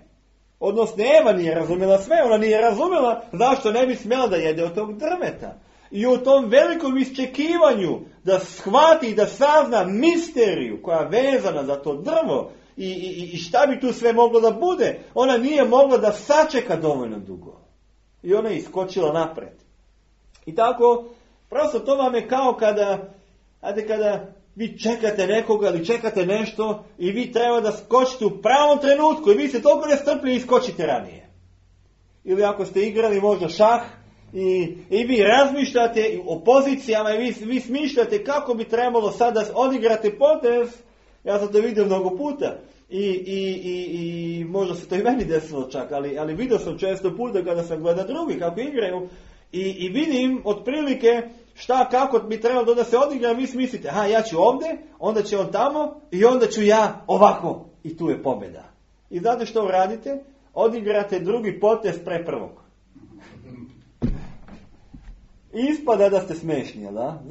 Odnosno, Eva nije razumjela sve. Ona nije razumjela zašto ne bi smjela da jede od tog drveta. I u tom velikom iščekivanju da shvati i da sazna misteriju koja je vezana za to drvo i šta bi tu sve moglo da bude, ona nije mogla da sačeka dovoljno dugo. I ona je iskočila napred. I tako, prosto to vam je kao kada vi čekate nekoga ili čekate nešto i vi treba da skočite u pravom trenutku i vi ste toliko nestrpljivi i skočite ranije. Ili ako ste igrali možda šah i vi razmišljate o pozicijama i vi smišljate kako bi trebalo sad da odigrate potez, ja sam to vidio mnogo puta. I možda se to i meni desilo čak, ali vidio sam često puta kada sam gledao drugi kako igraju i vidim otprilike kako bi trebalo da se odigra, vi mislite, ja ću ovdje, onda će on tamo i onda ću ja ovako i tu je pobjeda. I znate što radite? Odigrate drugi potez pre prvog. I ispada da ste smešni, da?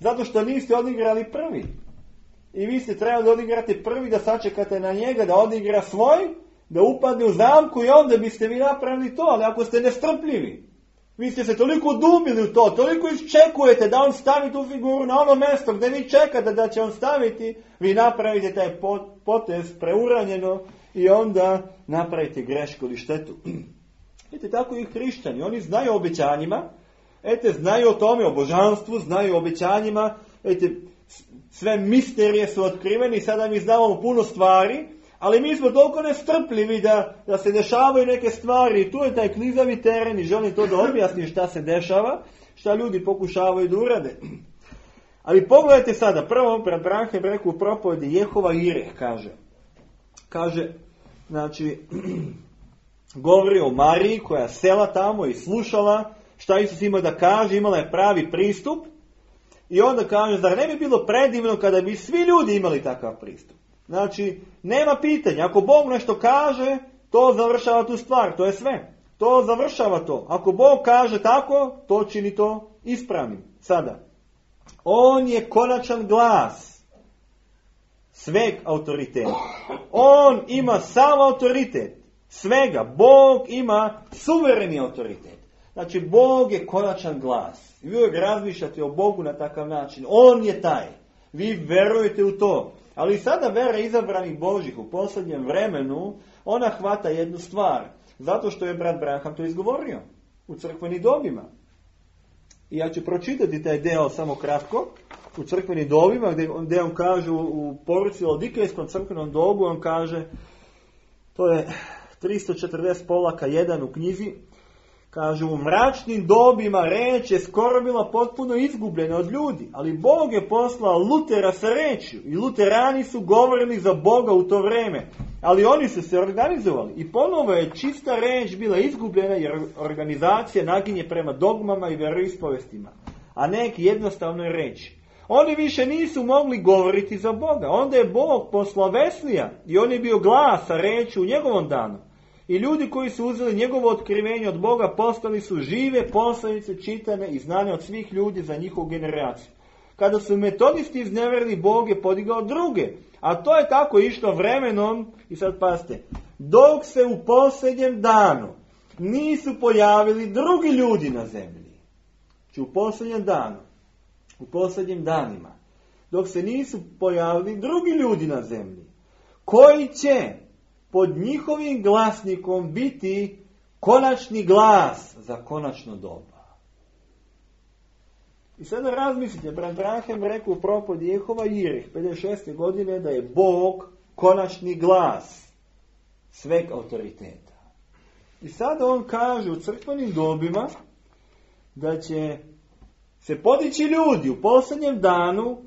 Zato što niste odigrali prvi. I vi ste trebali da odigrate prvi, da sačekate na njega, da odigra svoj, da upadne u zamku i onda biste vi napravili to. Ali ako ste nestrpljivi, Vi ste se toliko dubili u to, toliko iščekujete da on stavi tu figuru na ono mjesto gdje vi čekate da će on staviti, vi napravite taj potez preuranjeno i onda napravite grešku ili štetu. Vidite, tako i hrišćani, oni znaju o obećanjima, znaju o tome, o božanstvu, znaju o obećanjima, sve misterije su otkriveni, sada mi znamo puno stvari, ali mi smo toliko nestrpljivi da se dešavaju neke stvari i tu je taj klizavi teren i želim to da objasnim šta se dešava, šta ljudi pokušavaju da urade. Ali pogledajte sada, prvo brat Branham rekao u propovedi Jehova Jireh, kaže, znači, govori o Mariji koja sela tamo i slušala šta Isus ima da kaže, imala je pravi pristup i onda kaže, zar ne bi bilo predivno kada bi svi ljudi imali takav pristup? Znači, nema pitanja. Ako Bog nešto kaže, to završava tu stvar. To je sve. To završava to. Ako Bog kaže tako, to čini to ispravnim. Sada, on je konačan glas sveg autoriteta. On ima sam autoritet svega. Bog ima suvereni autoritet. Znači, Bog je konačan glas. Vi uvijek razmišljate o Bogu na takav način. On je taj. Vi verujete u to. Ali sada vera izabranih Božih u posljednjem vremenu, ona hvata jednu stvar. Zato što je brat Branham to izgovorio u crkvenim dobima. I ja ću pročitati taj deo samo kratko. U crkvenim dobima gdje on kaže u poruci o Dikejskom crkvenom dobu, on kaže, to je 340 polaka 1 u knjizi, kaže, u mračnim dobima reč je skoro bila potpuno izgubljena od ljudi, ali Bog je poslao Lutera sa rečju i luterani su govorili za Boga u to vrijeme, ali oni su se organizovali i ponovo je čista reč bila izgubljena jer organizacija naginje prema dogmama i vjeroispovestima, a neki jednostavnoj reči. Oni više nisu mogli govoriti za Boga, onda je Bog poslao Veslija i on je bio glas sa rečju u njegovom danu. I ljudi koji su uzeli njegovo otkrivenje od Boga postali su žive poslanice čitane i znane od svih ljudi za njihovu generaciju. Kada su metodisti izneverili, Bog je podigao druge. A to je tako išlo vremenom, i sad pazite, dok se u posljednjem danu nisu pojavili drugi ljudi na zemlji. Znači u posljednjem danu, u posljednjim danima, dok se nisu pojavili drugi ljudi na zemlji, koji će pod njihovim glasnikom biti konačni glas za konačno doba. I sada razmislite, brat Branham rekao u propovedi Jehova Jireh 56. godine da je Bog konačni glas sveg autoriteta. I sada on kaže u crkvenim dobima da će se podići ljudi u posljednjem danu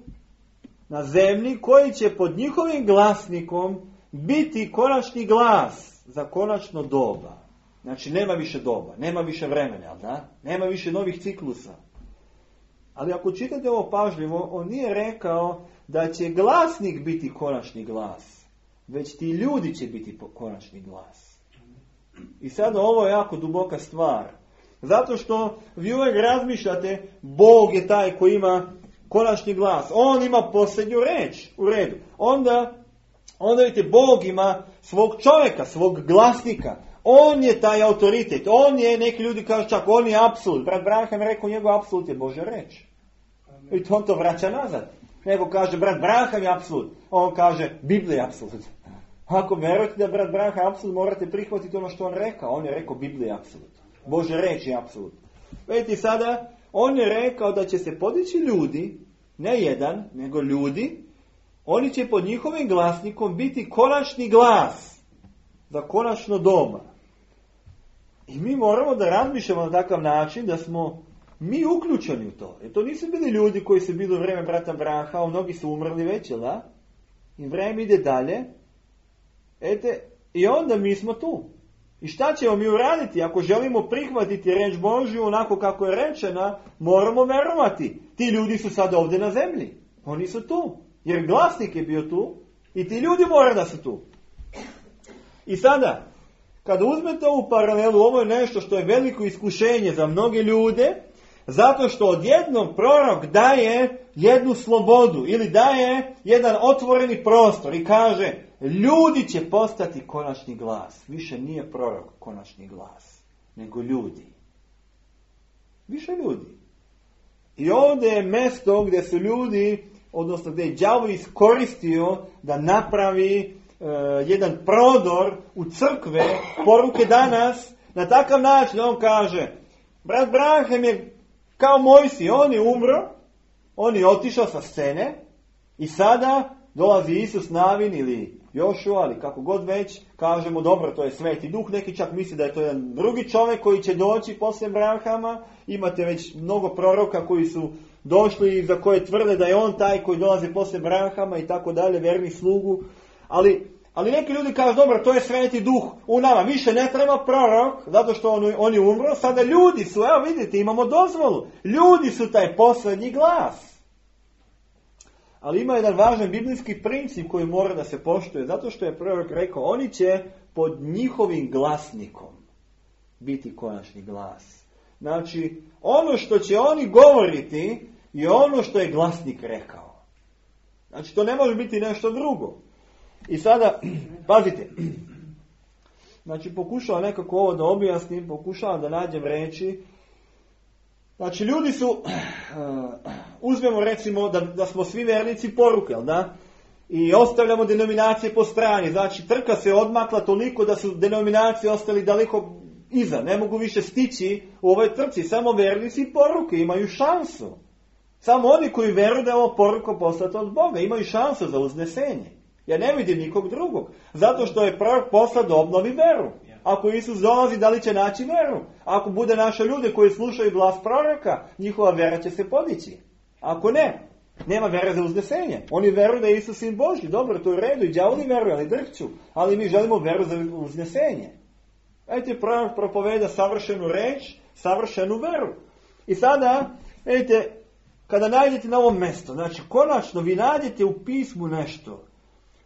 na zemlji koji će pod njihovim glasnikom biti konačni glas za konačno doba. Znači nema više doba, nema više vremena, da? Nema više novih ciklusa. Ali ako čitate ovo pažljivo, on nije rekao da će glasnik biti konačni glas, već ti ljudi će biti konačni glas. I sad ovo je jako duboka stvar. Zato što vi uvijek razmišljate, Bog je taj koji ima konačni glas. On ima posljednju reč. U redu. Onda vidite, Bog ima svog čovjeka, svog glasnika. On je taj autoritet. On je, neki ljudi kažu čak, on je apsolut. Brat Branham rekao, njegov apsolut je Božja reč. I on to vraća nazad. Neko kaže, brat Branham je apsolut. On kaže, Biblija je apsolut. Ako verujete da brat Branham je apsolut, morate prihvatiti ono što on rekao. On je rekao, Biblija je apsolut. Božja reč je apsolut. Vidite sada, on je rekao da će se podići ljudi, ne jedan, nego ljudi, oni će pod njihovim glasnikom biti konačni glas za konačno doba. I mi moramo da razmišljamo na takav način da smo mi uključeni u to. Jer to nisu bili ljudi koji su bili u vrijeme brata Branhama, mnogi su umrli već, jel da? I vrijeme ide dalje. I onda mi smo tu. I šta ćemo mi uraditi? Ako želimo prihvatiti reč Božju onako kako je rečena, moramo verovati. Ti ljudi su sad ovdje na zemlji. Oni su tu. Jer glasnik je bio tu i ti ljudi moraju da su tu. I sada, kada uzmete ovu paralelu, ovo je nešto što je veliko iskušenje za mnoge ljude, zato što odjednom prorok daje jednu slobodu ili daje jedan otvoreni prostor i kaže, ljudi će postati konačni glas. Više nije prorok konačni glas, nego ljudi. Više ljudi. I ovdje je mjesto gdje su ljudi, odnosno gdje je đavo iskoristio da napravi jedan prodor u crkve, poruke danas, na takav način on kaže, brat Branham je kao Mojsije, on je umro, on je otišao sa scene i sada dolazi Isus Navin ili Jošua, ali kako god već, kažemo dobro, to je Sveti Duh, neki čak misli da je to jedan drugi čovjek koji će doći poslije Branhama, imate već mnogo proroka koji su došli i za koje tvrde da je on taj koji dolazi poslije Branhama i tako dalje, verni slugu, ali neki ljudi kažu, dobro, to je Sveti Duh u nama, više ne treba prorok, zato što on je umro, sada ljudi su, evo vidite, imamo dozvolu, ljudi su taj posljednji glas. Ali ima jedan važan biblijski princip koji mora da se poštuje, zato što je prorok rekao, oni će pod njihovim glasnikom biti konačni glas. Znači, ono što će oni govoriti je ono što je glasnik rekao. Znači, to ne može biti nešto drugo. I sada, pazite, znači pokušavam nekako ovo da objasnim, pokušavam da nađem reči. Znači ljudi su, uzmemo recimo da smo svi vernici poruke, jel da? I ostavljamo denominacije po strani, znači trka se odmakla toliko da su denominacije ostali daleko iza, ne mogu više stići u ovoj trci, samo vernici poruke imaju šansu. Samo oni koji veruju da je ovo poruka poslata od Boga, imaju šansu za uznesenje. Ja ne vidim nikog drugog. Zato što je prorok poslat da obnovi veru. Ako Isus dolazi, da li će naći veru? Ako bude naše ljude koji slušaju glas proroka, njihova vera će se podići. Ako ne, nema vere za uznesenje. Oni veruju da je Isus sin Božji. Dobro, to je u redu. I đavoli veruju, ali drhću. Ali mi želimo veru za uznesenje. Vidite, prorok propoveda savršenu reč, savršenu veru. I sada, vidite, kada najdete na ovom mjestu, znači konačno vi nađete u pismu nešto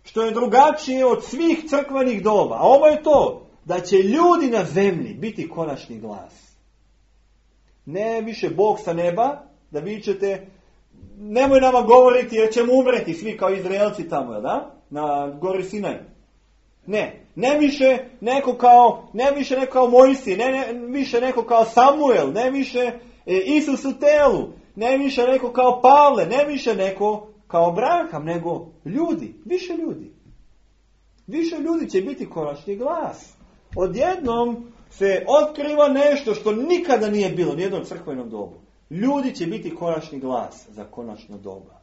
što je drugačije od svih crkvenih doba. A ovo je to, da će ljudi na zemlji biti konačni glas. Ne više Bog sa neba, da vi ćete, nemoj nama govoriti jer ćemo umreti svi kao Izraelci tamo, da? Na gori Sinaj. Ne više neko kao Mojsije, ne više neko kao Samuel, ne više Isus u telu, ne više neko kao Pavle, ne više neko kao Branham, nego ljudi, više ljudi. Više ljudi će biti konačni glas. Odjednom se otkriva nešto što nikada nije bilo, nijednom crkvenom dobu. Ljudi će biti konačni glas za konačno doba.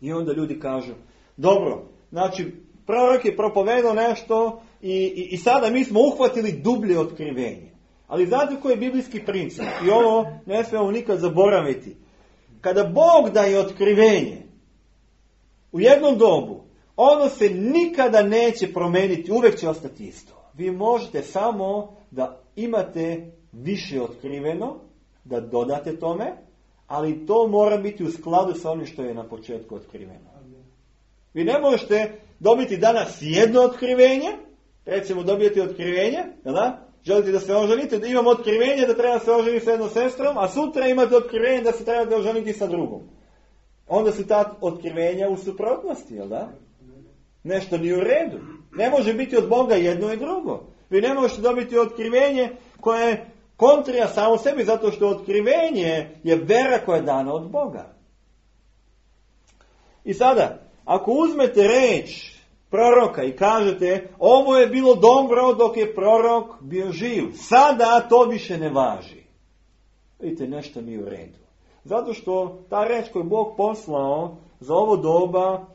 I onda ljudi kažu, dobro, znači prorok je propovedao nešto i sada mi smo uhvatili dublje otkrivenje. Ali znate koji je biblijski princip? I ovo ne smijemo nikad zaboraviti. Kada Bog daje otkrivenje u jednom dobu, ono se nikada neće promijeniti, uvijek će ostati isto. Vi možete samo da imate više otkriveno, da dodate tome, ali to mora biti u skladu sa onim što je na početku otkriveno. Vi ne možete dobiti danas jedno otkrivenje, recimo dobijete otkrivenje, da? Želite da se oženite, da imamo otkrivenje da treba se oženiti sa jednom sestrom, a sutra imate otkrivenje da se treba oženiti sa drugom. Onda su ta otkrivenja u suprotnosti, jel da? Nešto nije u redu. Ne može biti od Boga jedno i drugo. Vi ne možete dobiti otkrivenje koje je kontrija samo sebi, zato što otkrivenje je vera koja je dana od Boga. I sada, ako uzmete reč proroka i kažete, ovo je bilo dobro dok je prorok bio živ, sada to više ne važi. Vidite, nešto nije u redu. Zato što ta reč koju Bog poslao za ovo doba,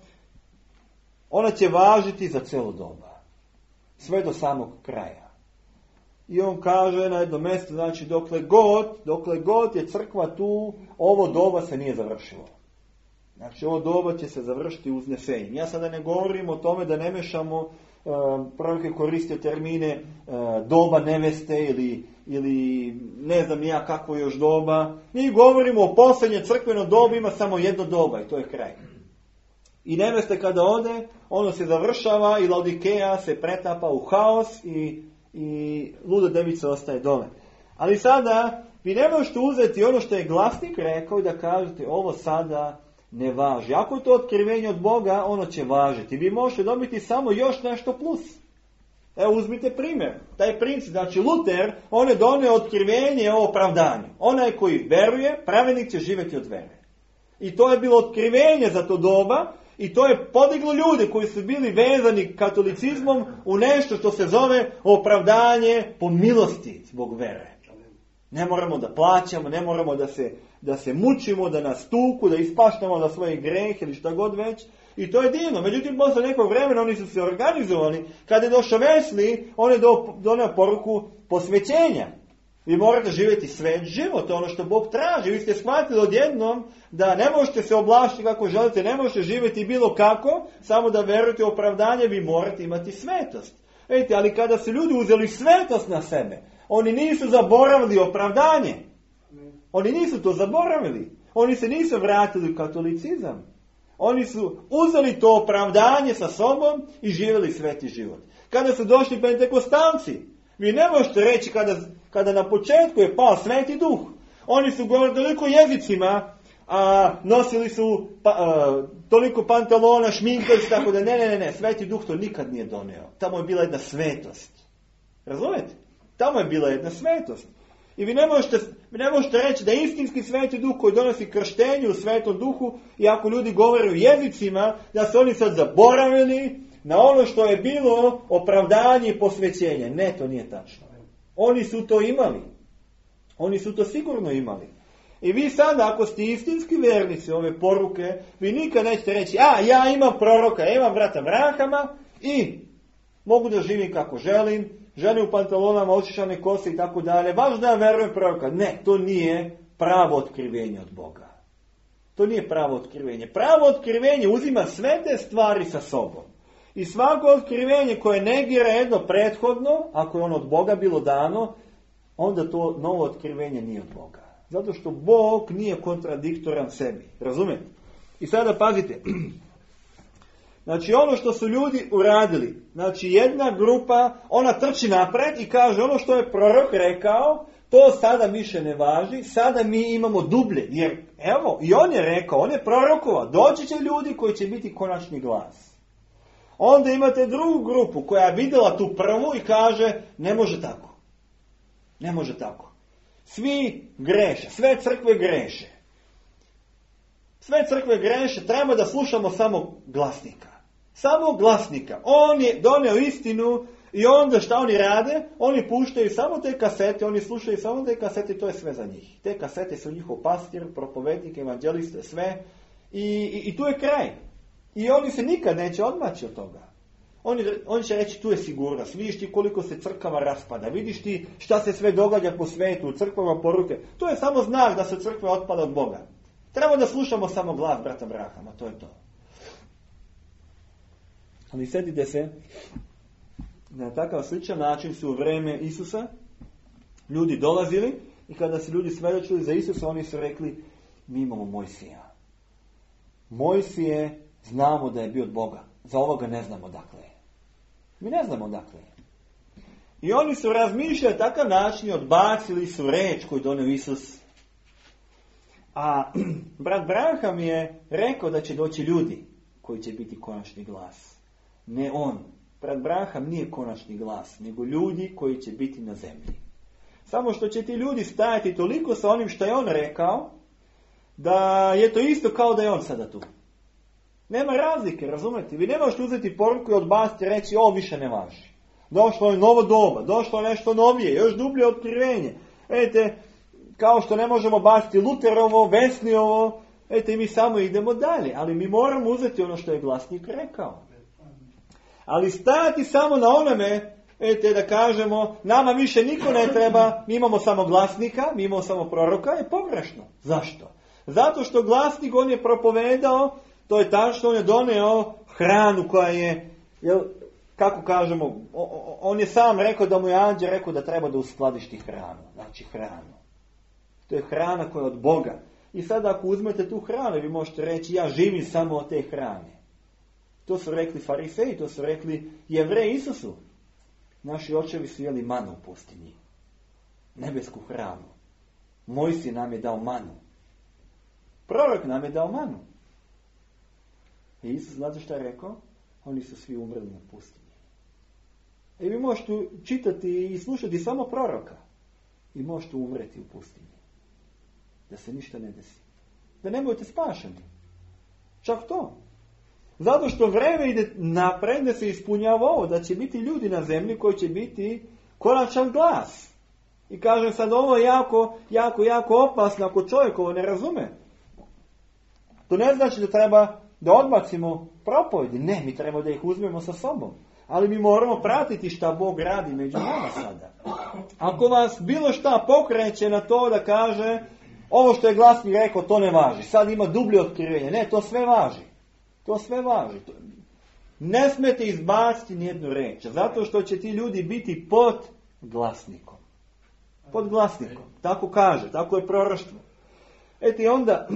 ona će važiti za cijelo doba. Sve do samog kraja. I on kaže na jednom mjestu, znači dokle god je crkva tu, ovo doba se nije završilo. Znači ovo doba će se završiti uznesenjem. Ja sada ne govorim o tome da ne mešamo, proroke koriste termine doba neveste ili ne znam ja kako još doba. Mi govorimo o posljednje crkveno dobu, ima samo jedno doba i to je kraj. I neveste kada ode, ono se završava i Laodikeja se pretapa u haos i luda devica ostaje dole. Ali sada vi ne možete uzeti ono što je glasnik rekao i da kažete ovo sada ne važi. Ako je to otkrivenje od Boga, ono će važiti. Vi možete dobiti samo još nešto plus. Evo uzmite primjer. Taj princip, znači Luter, on je donio otkrivenje o opravdanju. Onaj koji veruje, pravednik će živjeti od vere. I to je bilo otkrivenje za to doba i to je podiglo ljude koji su bili vezani katolicizmom u nešto što se zove opravdanje po milosti zbog vere. Ne moramo da plaćamo, ne moramo da se mučimo, da nas tuku, da ispaštamo na svoje greh ili šta god već. I to je divno. Međutim, posle nekog vremena oni su se organizovali. Kada je došao Wesley, on je donio poruku posvećenja. Vi morate živjeti svet život, to je ono što Bog traži. Vi ste shvatili odjednom da ne možete se oblašiti kako želite, ne možete živjeti bilo kako, samo da verujete u opravdanje, vi morate imati svetost. Vidite, ali kada su ljudi uzeli svetost na sebe, oni nisu zaboravili opravdanje. Oni nisu to zaboravili. Oni se nisu vratili u katolicizam. Oni su uzeli to opravdanje sa sobom i živjeli sveti život. Kada su došli pentekostalci, vi ne možete reći kada na početku je pao Sveti Duh. Oni su govorili toliko jezicima, a nosili su toliko pantalona, šminkali se, tako da ne, Sveti Duh to nikad nije doneo. Tamo je bila jedna svetost. Razumete? Tamo je bila jedna svetost. I vi ne možete reći da istinski Sveti Duh koji donosi krštenje u Svetom Duhu, i ako ljudi govore u jezicima, da su oni sad zaboravili na ono što je bilo opravdanje i posvećenje. Ne, to nije tačno. Oni su to imali. Oni su to sigurno imali. I vi sada, ako ste istinski vernici ove poruke, vi nikad nećete reći, ja imam proroka, ja imam brata Branhama i mogu da živim kako želim, žene u pantalonama, očišane kose i tako dalje, važno da ja verujem proroka. Ne, to nije pravo otkrivenje od Boga. To nije pravo otkrivenje. Pravo otkrivenje uzima sve te stvari sa sobom. I svako otkrivenje koje negira jedno prethodno, ako je ono od Boga bilo dano, onda to novo otkrivenje nije od Boga. Zato što Bog nije kontradiktoran sebi. Razumete? I sada pazite. Znači ono što su ljudi uradili, znači jedna grupa, ona trči napred i kaže ono što je prorok rekao, to sada više ne važi, sada mi imamo dublje. Jer evo, i on je rekao, on je prorokovao, doći će ljudi koji će biti konačni glas. Onda imate drugu grupu koja je vidjela tu prvu i kaže, ne može tako. Ne može tako. Svi greše, sve crkve greše. Sve crkve greše, treba da slušamo samo glasnika. Samo glasnika. On je doneo istinu i onda šta oni rade? Oni puštaju samo te kasete, oni slušaju samo te kasete i to je sve za njih. Te kasete su njihov pastir, propovednik, evanđeliste, sve. I tu je kraj. I oni se nikad neće odmaći od toga. Oni će reći tu je sigurnost. Vidiš ti koliko se crkava raspada. Vidiš ti šta se sve događa po svetu, u crkvama poruke. To je samo znak da se crkva otpada od Boga. Treba da slušamo samo glas brata Branhama, to je to. Ali sjetite se, na takav sličan način su u vreme Isusa ljudi dolazili i kada su ljudi svedočili za Isusa, oni su rekli, mi imamo Mojsija. Mojsije znamo da je bio od Boga. Za ovoga ne znamo dakle. Mi ne znamo dakle. I oni su razmišljali takav način i odbacili su reč koju donio Isus. A brat Branham je rekao da će doći ljudi koji će biti konačni glas. Ne on. Brat Branham nije konačni glas, nego ljudi koji će biti na zemlji. Samo što će ti ljudi stajati toliko sa onim što je on rekao, da je to isto kao da je on sada tu. Nema razlike, razumete? Vi ne možete uzeti poruku i odbaciti i reći, ovo više ne važi. Došlo je novo doba, došlo je nešto novije, još dublje otkrivenje. Vidite, kao što ne možemo baciti Luterovo, Wesley-ovo, vidite, mi samo idemo dalje, ali mi moramo uzeti ono što je glasnik rekao. Ali stajati samo na onome, vidite, da kažemo, nama više niko ne treba, mi imamo samo glasnika, mi imamo samo proroka, je pogrešno. Zašto? Zato što glasnik, on je propovedao, to je tačno, on je doneo hranu koja je, kako kažemo, on je sam rekao da mu je anđel rekao da treba da uskladišti hranu. Znači hranu. To je hrana koja je od Boga. I sada ako uzmete tu hranu, vi možete reći, ja živim samo od te hrane. To su rekli fariseji, to su rekli Jevreji Isusu. Naši očevi su jeli manu u pustinji. Nebesku hranu. Mojsije nam je dao manu. Prorok nam je dao manu. I Isus, znate što je rekao? Oni su svi umrli na pustinji. I vi možete čitati i slušati samo proroka. I možete umreti u pustinji. Da se ništa ne desi. Da ne budete spašeni. Čak to. Zato što vreme ide napred da se ispunjava ovo. Da će biti ljudi na zemlji koji će biti konačan glas. I kažem sad, ovo je jako opasno ako čovjek ovo ne razume. To ne znači da treba da odbacimo propovedi. Ne, mi treba da ih uzmemo sa sobom. Ali mi moramo pratiti šta Bog radi među nama sada. Ako vas bilo šta pokreće na to da kaže ovo što je glasnik rekao, to ne važi. Sad ima dublje otkrivenje. Ne, to sve važi. To sve važi. Ne smete izbaciti nijednu reč. Zato što će ti ljudi biti pod glasnikom. Pod glasnikom. Tako kaže. Tako je proroštvo. Eto i onda,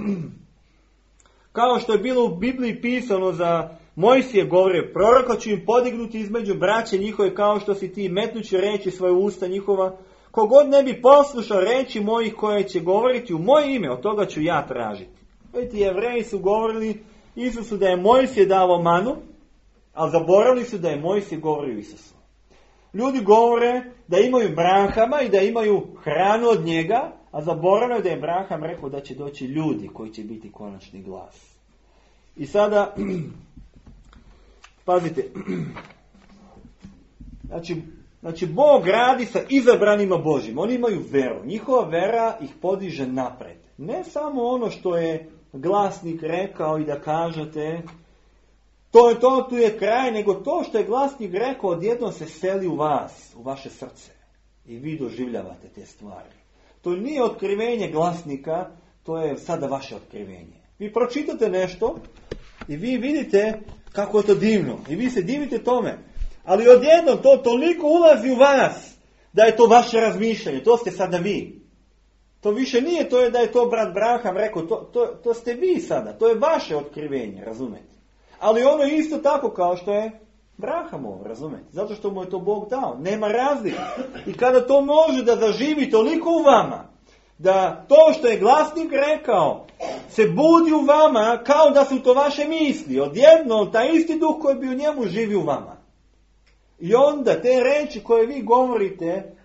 kao što je bilo u Bibliji pisano za Mojsije govorio, proroka ću im podignuti između braće njihove kao što si ti, metnući reći svoje usta njihova. Kogod ne bi poslušao reči mojih koje će govoriti u moje ime, od toga ću ja tražiti. Vidite, Jevreji su govorili Isusu da je Mojsije davo manu, ali zaboravili su da je Mojsije govorio Isusu. Ljudi govore da imaju Abrahama i da imaju hranu od njega, a zaboravljaju da je Abraham rekao da će doći ljudi koji će biti konačni glas. I sada, pazite, znači Bog radi sa izabranima Božjim. Oni imaju veru. Njihova vera ih podiže napred. Ne samo ono što je glasnik rekao i da kažete to je to, tu je kraj, nego to što je glasnik rekao odjednom se seli u vas, u vaše srce. I vi doživljavate te stvari. To nije otkrivenje glasnika, to je sada vaše otkrivenje. Vi pročitate nešto i vi vidite kako je to divno. I vi se divite tome. Ali odjednom to toliko ulazi u vas da je to vaše razmišljanje. To ste sada vi. To više nije to da je to brat Abraham rekao. To ste vi sada. To je vaše otkrivenje, razumete? Ali ono je isto tako kao što je Abrahamovo, razumete? Zato što mu je to Bog dao. Nema razlike. I kada to može da zaživi toliko u vama, da to što je glasnik rekao se budi u vama kao da su to vaše misli. Odjednom taj isti duh koji bi u njemu živi u vama. I onda te reči koje vi govorite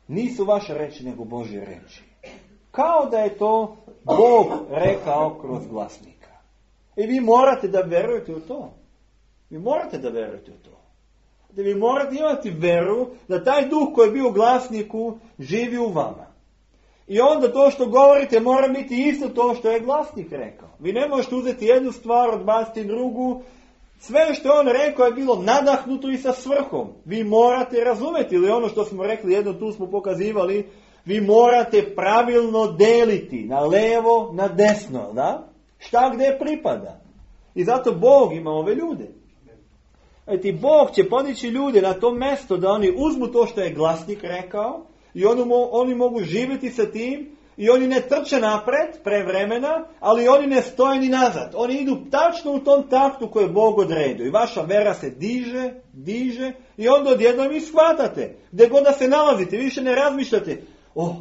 nisu vaše reči nego Božje reči. Kao da je to Bog rekao kroz glasnika. I vi morate da verujete u to. Vi morate da verujete u to. Da vi morate imati veru da taj duh koji je bio u glasniku živi u vama. I onda to što govorite mora biti isto to što je glasnik rekao. Vi ne možete uzeti jednu stvar, odbaciti drugu. Sve što je on rekao je bilo nadahnuto i sa svrhom. Vi morate razumjeti, ili ono što smo rekli, jedno tu smo pokazivali, vi morate pravilno deliti na levo, na desno, da? Šta gdje pripada. I zato Bog ima ove ljude. Eti Bog će podići ljude na to mjesto da oni uzmu to što je glasnik rekao i oni mogu živjeti sa tim i oni ne trče napred pre vremena, ali oni ne stoje ni nazad. Oni idu tačno u tom taktu koje je Bog odredio. I vaša vera se diže i onda odjednom vi shvatate. Gdje god da se nalazite, više ne razmišljate.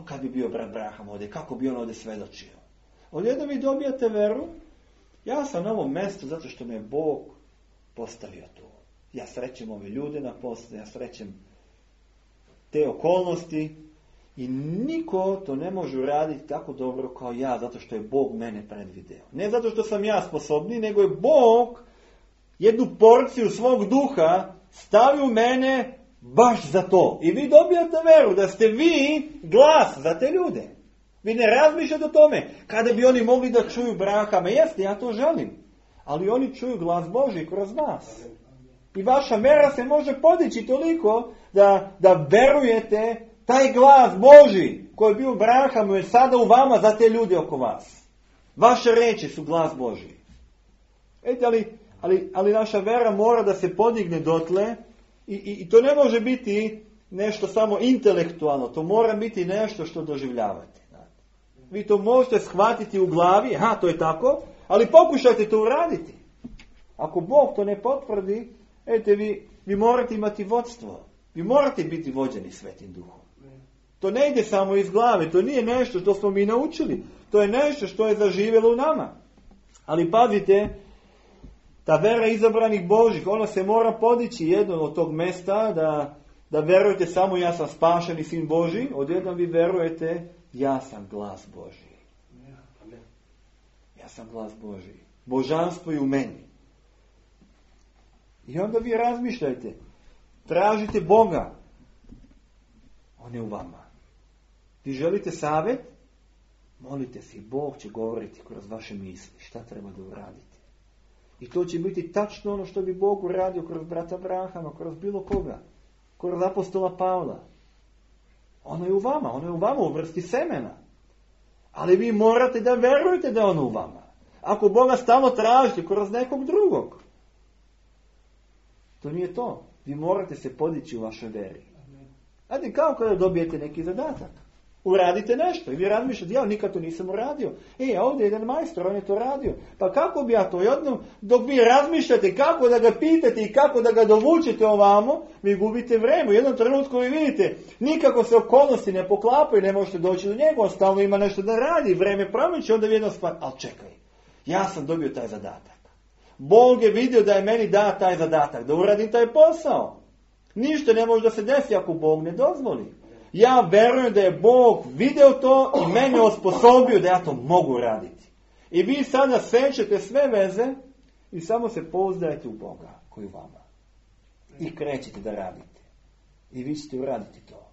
Kad bi bio brat Abraham ovdje, kako bi on ovdje svedočio. Odjednom vi dobijate veru. Ja sam na ovom mjestu zato što me Bog postavio tu. Ja srećem ove ljude na poslu, ja srećem te okolnosti i niko to ne može uraditi tako dobro kao ja, zato što je Bog mene predvideo. Ne zato što sam ja sposobni, nego je Bog jednu porciju svog duha stavio u mene baš za to. I vi dobijate veru da ste vi glas za te ljude. Vi ne razmišljate o tome. Kada bi oni mogli da čuju Abrahama, jeste, ja to želim. Ali oni čuju glas Božji kroz vas. I vaša vera se može podići toliko da verujete taj glas Božji koji je bio u Abrahamu je sada u vama za te ljude oko vas. Vaše reči su glas Božji. Ali naša vera mora da se podigne dotle i to ne može biti nešto samo intelektualno. To mora biti nešto što doživljavate. Vi to možete shvatiti u glavi, to je tako, ali pokušajte to uraditi. Ako Bog to ne potvrdi, vi morate imati vodstvo. Vi morate biti vođeni Svetim Duhom. To ne ide samo iz glave, to nije nešto što smo mi naučili. To je nešto što je zaživjelo u nama. Ali pazite, ta vera izabranih Božih, ona se mora podići jedno od tog mjesta da verujete samo ja sam spašeni sin Božji, odjednom vi verujete ja sam glas Božji. Ja sam glas Božji. Božanstvo je u meni. I onda vi razmišljajte. Tražite Boga. On je u vama. Vi želite savjet? Molite se i Bog će govoriti kroz vaše misli. Šta treba da uradite? I to će biti tačno ono što bi Bog uradio kroz brata Abrahama, kroz bilo koga. Kroz apostola Pavla. Ono je u vama. Ono je u vama u vrsti semena. Ali vi morate da verujete da je ono u vama. Ako Boga stalno tražite kroz nekog drugog, to nije to. Vi morate se podići u vašoj veri. Znate, kao kada dobijete neki zadatak. Uradite nešto i vi razmišljate, ja nikad to nisam uradio. Ovdje je jedan majstor, on je to radio. Pa kako bi ja to? Jednom, dok vi razmišljate kako da ga pitate i kako da ga dovučete ovamo, vi gubite vreme. U jednom trenutku vi vidite, nikako se okolnosti ne poklapaju, ne možete doći do njega, on stalno ima nešto da radi, vreme promiče, onda vi jednom stvar, ali čekaj, ja sam dobio taj zadatak. Bog je vidio da je meni da taj zadatak, da uradim taj posao. Ništa ne može da se desi ako Bog ne dozvoli. Ja verujem da je Bog video to i mene osposobio da ja to mogu raditi. I vi sada sečete sve veze i samo se pouzdajete u Boga koji u vama. I krećete da radite. I vi ćete uraditi to.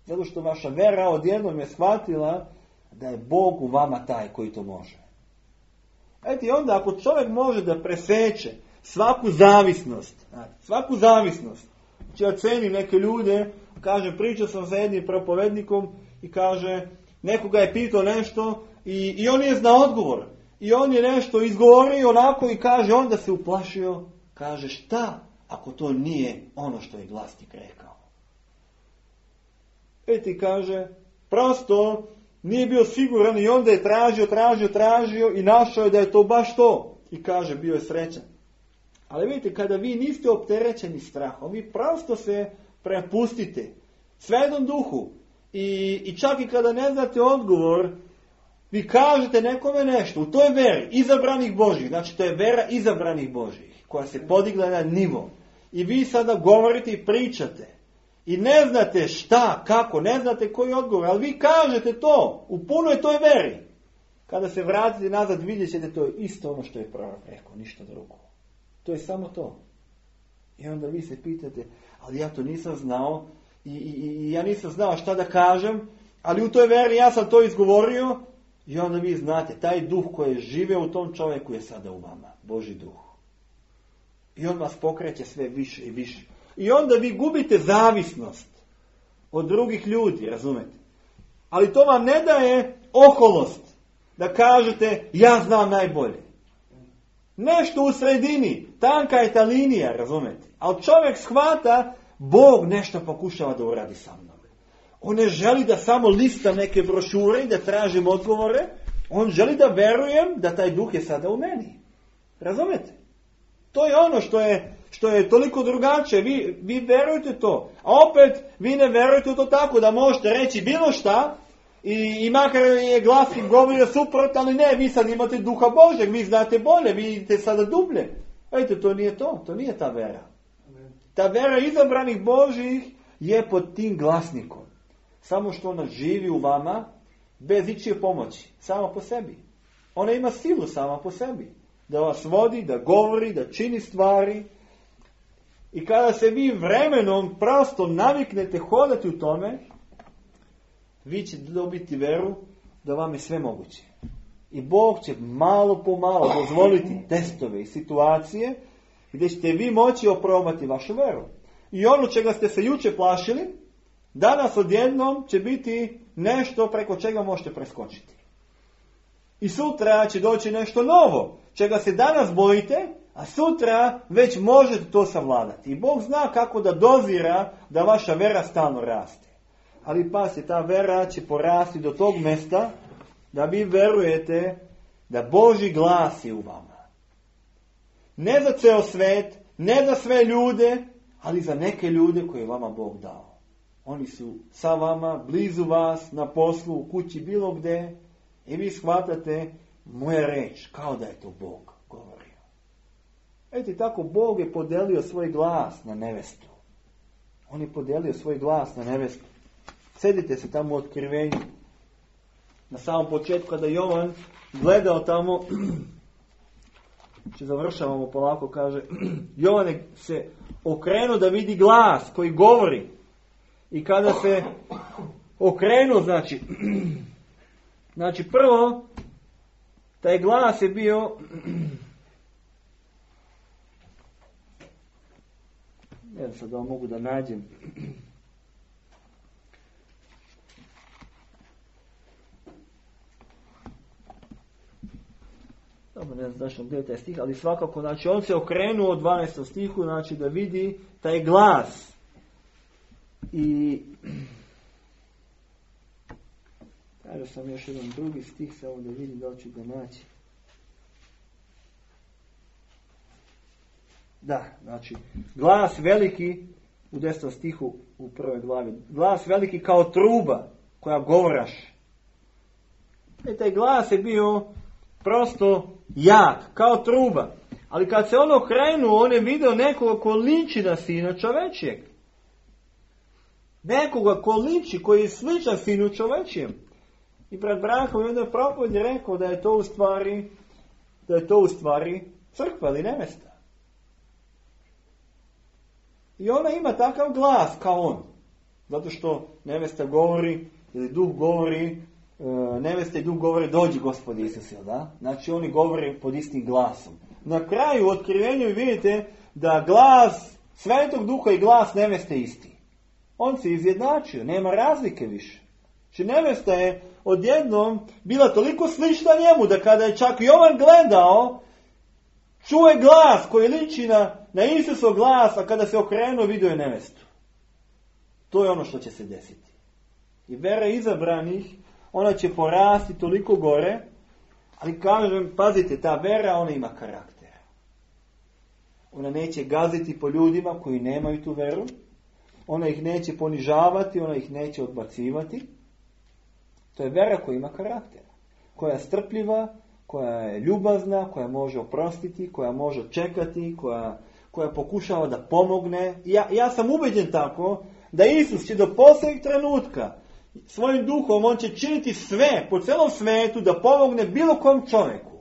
Zato što vaša vera odjednom je shvatila da je Bog u vama taj koji to može. I onda ako čovjek može da preseče svaku zavisnost, ja cenim neke ljude, kaže, pričao sam sa jednim propovednikom i kaže, nekoga je pitao nešto i on nije znao odgovor. I on je nešto izgovorio onako i kaže, onda se uplašio, kaže, šta ako to nije ono što je glasnik rekao? Kaže, prosto nije bio siguran i onda je tražio i našao je da je to baš to. I kaže, bio je srećan. Ali vidite, kada vi niste opterećeni strahom, vi prosto se prepustite Svetom Duhu i čak i kada ne znate odgovor, vi kažete nekome nešto u toj veri izabranih Božih, znači to je vera izabranih Božih koja se podigla na nivo i vi sada govorite i pričate i ne znate šta, kako, ne znate koji odgovor, ali vi kažete to u punoj toj veri. Kada se vratite nazad vidjet ćete to je isto ono što je prorok rekao, ništa drugo. To je samo to. I onda vi se pitate, ali ja to nisam znao i ja nisam znao šta da kažem, ali u toj veri ja sam to izgovorio i onda vi znate, taj duh koji je živeo u tom čovjeku je sada u vama, Božji duh. I on vas pokreće sve više i više. I onda vi gubite zavisnost od drugih ljudi, razumete? Ali to vam ne daje oholost da kažete, ja znam najbolje. Nešto u sredini, tanka je ta linija, razumete? Ali čovjek shvata, Bog nešto pokušava da uradi sa mnom. On ne želi da samo lista neke brošure i da tražim odgovore, on želi da verujem da taj duh je sada u meni. Razumete? To je ono što je toliko drugačije. Vi verujete to. A opet, vi ne verujete u to tako da možete reći bilo šta i makar je glasnik govorio suprotno, ali ne, vi sad imate duha Božeg, vi znate bolje, vi idete sada dublje. Vidite, to nije to nije ta vera. Ta vera izabranih Božih je pod tim glasnikom. Samo što ona živi u vama bez ičije pomoći, sama po sebi. Ona ima silu sama po sebi. Da vas vodi, da govori, da čini stvari. I kada se vi vremenom prosto naviknete hodati u tome, vi ćete dobiti veru da vam je sve moguće. I Bog će malo po malo dozvoliti testove i situacije gdje ćete vi moći oprobati vašu veru. I ono čega ste se juče plašili, danas odjednom će biti nešto preko čega možete preskočiti. I sutra će doći nešto novo, čega se danas bojite, a sutra već možete to savladati. I Bog zna kako da dozira da vaša vera stalno raste. Ali pazite, ta vera će porasti do tog mjesta da vi verujete da Božji glas je u vama. Ne za ceo svet, ne za sve ljude, ali za neke ljude koje je vama Bog dao. Oni su sa vama, blizu vas, na poslu, u kući, bilo gde. I vi shvatate moja reč, kao da je to Bog govorio. Tako Bog je podelio svoj glas na nevestu. On je podijelio svoj glas na nebesko. Sedite se tamo u Otkrivenju. Na samom početku kada Jovan gledao tamo, završavamo polako, kaže, Jovan se okrenuo da vidi glas koji govori. I kada se okrenuo, znači prvo, taj glas je bio, ne znam sad da mogu da nađem, dobro, ne znam zašto gdje je taj stih, ali svakako, znači on se okrenuo od 12. stihu, znači da vidi taj glas. I kažem sam još jedan drugi stih, samo da vidim da ću ga naći. Da, znači, glas veliki, u 10. stihu u 1. glavi, glas veliki kao truba koja govoraš. Taj glas je bio prosto jak, kao truba. Ali kad se on okrenuo, on je vidio nekoga ko liči na Sina čovečijeg. Nekoga ko liči, koji je sličan Sinu čovečijem. I pred Branhom je jednoj propovedi rekao da je to u stvari crkva ili nevesta. I ona ima takav glas kao on. Zato što nevesta govori, ili duh govori, nevesta i duh govori, dođi Gospod Isus, da? Znači oni govore pod istim glasom. Na kraju u Otkrivenju vidite da glas Svetog Duha i glas neveste isti. On se izjednačio, nema razlike više. Znači nevesta je odjednom bila toliko slična njemu da kada je čak Jovan gledao, čuje glas koji liči na Isusov glas, a kada se okrenuo vidio je nevestu. To je ono što će se desiti. I vera izabranih, ona će porasti toliko gore, ali kažem, pazite, ta vera, ona ima karakter. Ona neće gaziti po ljudima koji nemaju tu veru, ona ih neće ponižavati, ona ih neće odbacivati. To je vera koja ima karakter, koja je strpljiva, koja je ljubazna, koja može oprostiti, koja može čekati, koja pokušava da pomogne. Ja sam ubeđen tako da Isus će do posljednjeg trenutka svojim duhom, on će činiti sve po celom svetu da pomogne bilo kom čovjeku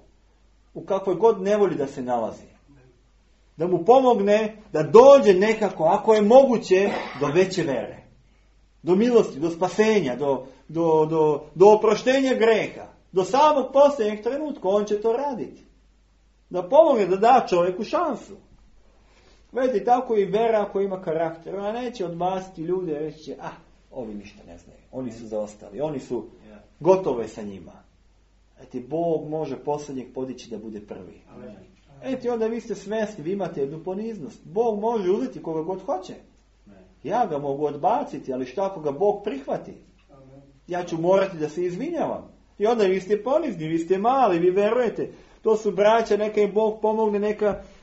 u kakvoj god nevolji da se nalazi. Da mu pomogne da dođe nekako, ako je moguće, do veće vere. Do milosti, do spasenja, do oproštenja greha. Do samog posljednjeg trenutka on će to raditi. Da pomogne, da da čovjeku šansu. Vidite, tako i vera koja ima karakter. Ona neće odbaciti ljude, reći će, ovi ništa ne znaju. Oni su zaostali, oni su gotove sa njima. Bog može posljednjeg podići da bude prvi. Onda vi ste svjesni, vi imate jednu poniznost. Bog može uzeti koga god hoće. Ja ga mogu odbaciti, ali šta ako ga Bog prihvati? Ja ću morati da se izvinjavam. I onda vi ste ponizni, vi ste mali, vi verujete. To su braća, neka im Bog pomogne,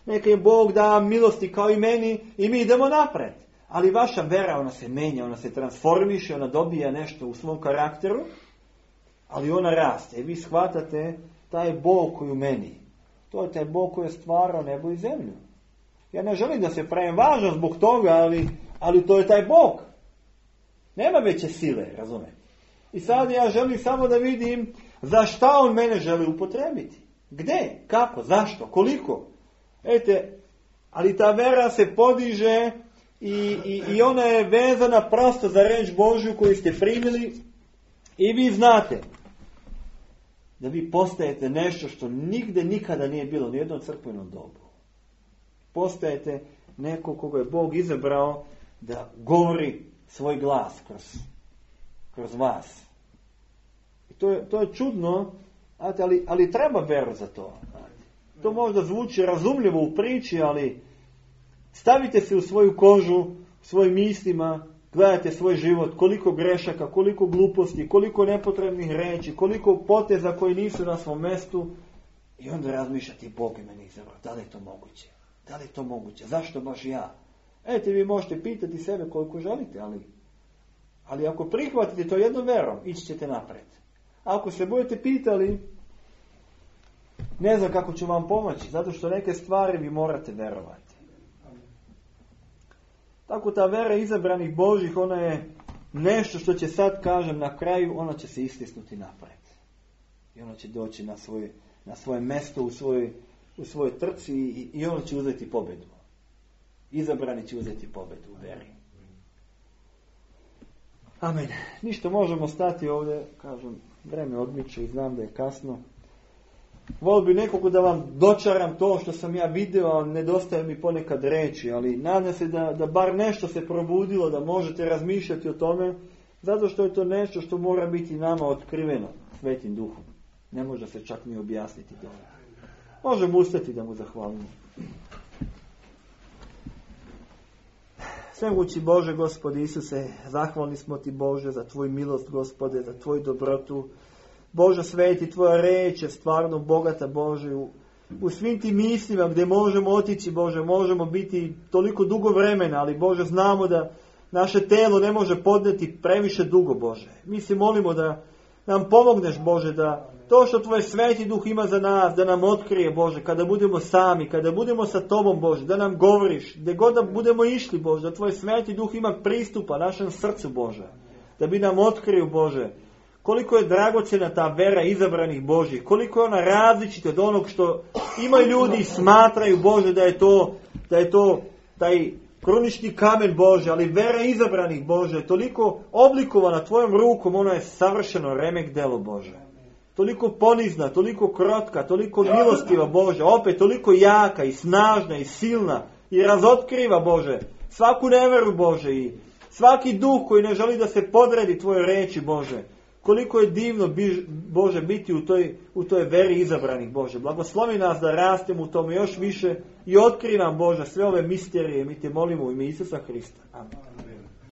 neka im Bog da milosti kao i meni i mi idemo napred. Ali vaša vera, ona se menja, ona se transformiše, ona dobija nešto u svom karakteru, ali ona raste. I vi shvatate taj Bog koji u meni. To je taj Bog koji je stvarao nebo i zemlju. Ja ne želim da se pravim važan zbog toga, ali to je taj Bog. Nema veće sile, razumete? I sad ja želim samo da vidim za šta on mene želi upotrebiti. Gde? Kako? Zašto? Koliko? Ali ta vera se podiže i ona je vezana prosto za reč Božju koju ste primili i vi znate da vi postajete nešto što nigde nikada nije bilo ni u jednom crkvenom dobu. Postajete neko koga je Bog izabrao da govori svoj glas kroz vas. I to je čudno, ali treba veru za to. To možda zvuči razumljivo u priči, ali stavite se u svoju kožu, svojim mislima, gledajte svoj život, koliko grešaka, koliko gluposti, koliko nepotrebnih reči, koliko poteza koji nisu na svom mestu i onda razmišljati, Bog je meni izabrao, da li je to moguće? Da li je to moguće? Zašto baš ja? Vi možete pitati sebe koliko želite, ali ako prihvatite to jednom verom, ići ćete napred. Ako se budete pitali, ne znam kako ću vam pomoći, zato što neke stvari vi morate verovati. Tako ta vera izabranih Božih, ona je nešto što će sad, kažem, na kraju, ona će se istisnuti napred. I ona će doći na svoje mjesto u svojoj trci i ona će uzeti pobjedu. Izabrani će uzeti pobjedu u veri. Amen. Ništa, možemo stati ovdje, kažem, vreme odmiče i znam da je kasno. Volio bi nekako da vam dočaram to što sam ja vidio, a nedostaje mi ponekad reći, ali nadam se da bar nešto se probudilo, da možete razmišljati o tome, zato što je to nešto što mora biti nama otkriveno Svetim Duhom. Ne može se čak ni objasniti to. Možemo ustati da mu zahvalimo. Svemogući Bože, Gospode Isuse, zahvalni smo Ti, Bože, za Tvoju milost, Gospode, za Tvoju dobrotu. Bože sveti, Tvoja reč je stvarno bogata, Bože, u svim tim mislima gdje možemo otići, Bože, možemo biti toliko dugo vremena, ali Bože, znamo da naše telo ne može podnijeti previše dugo, Bože. Mi se molimo da nam pomogneš, Bože, da to što Tvoj Sveti Duh ima za nas, da nam otkrije, Bože, kada budemo sami, kada budemo sa Tobom, Bože, da nam govoriš, gdje god da budemo išli, Bože, da Tvoj Sveti Duh ima pristupa našem srcu, Bože, da bi nam otkrio, Bože, koliko je dragocjena ta vera izabranih Božih, koliko je ona različita od onog što imaju ljudi i smatraju, Bože, da je to taj krunični kamen, Bože, ali vera izabranih, Bože, je toliko oblikovana Tvojom rukom, ona je savršeno remek delo, Bože. Toliko ponizna, toliko krotka, toliko milostiva, Bože, opet toliko jaka i snažna i silna i razotkriva, Bože, svaku neveru, Bože, i svaki duh koji ne želi da se podredi Tvojoj reči, Bože. Koliko je divno, Bože, biti u toj veri izabranih, Bože. Blagoslovi nas da rastemo u tome još više i otkri nam, Bože, sve ove misterije. Mi Te molimo u ime Isusa Hrista. Amen.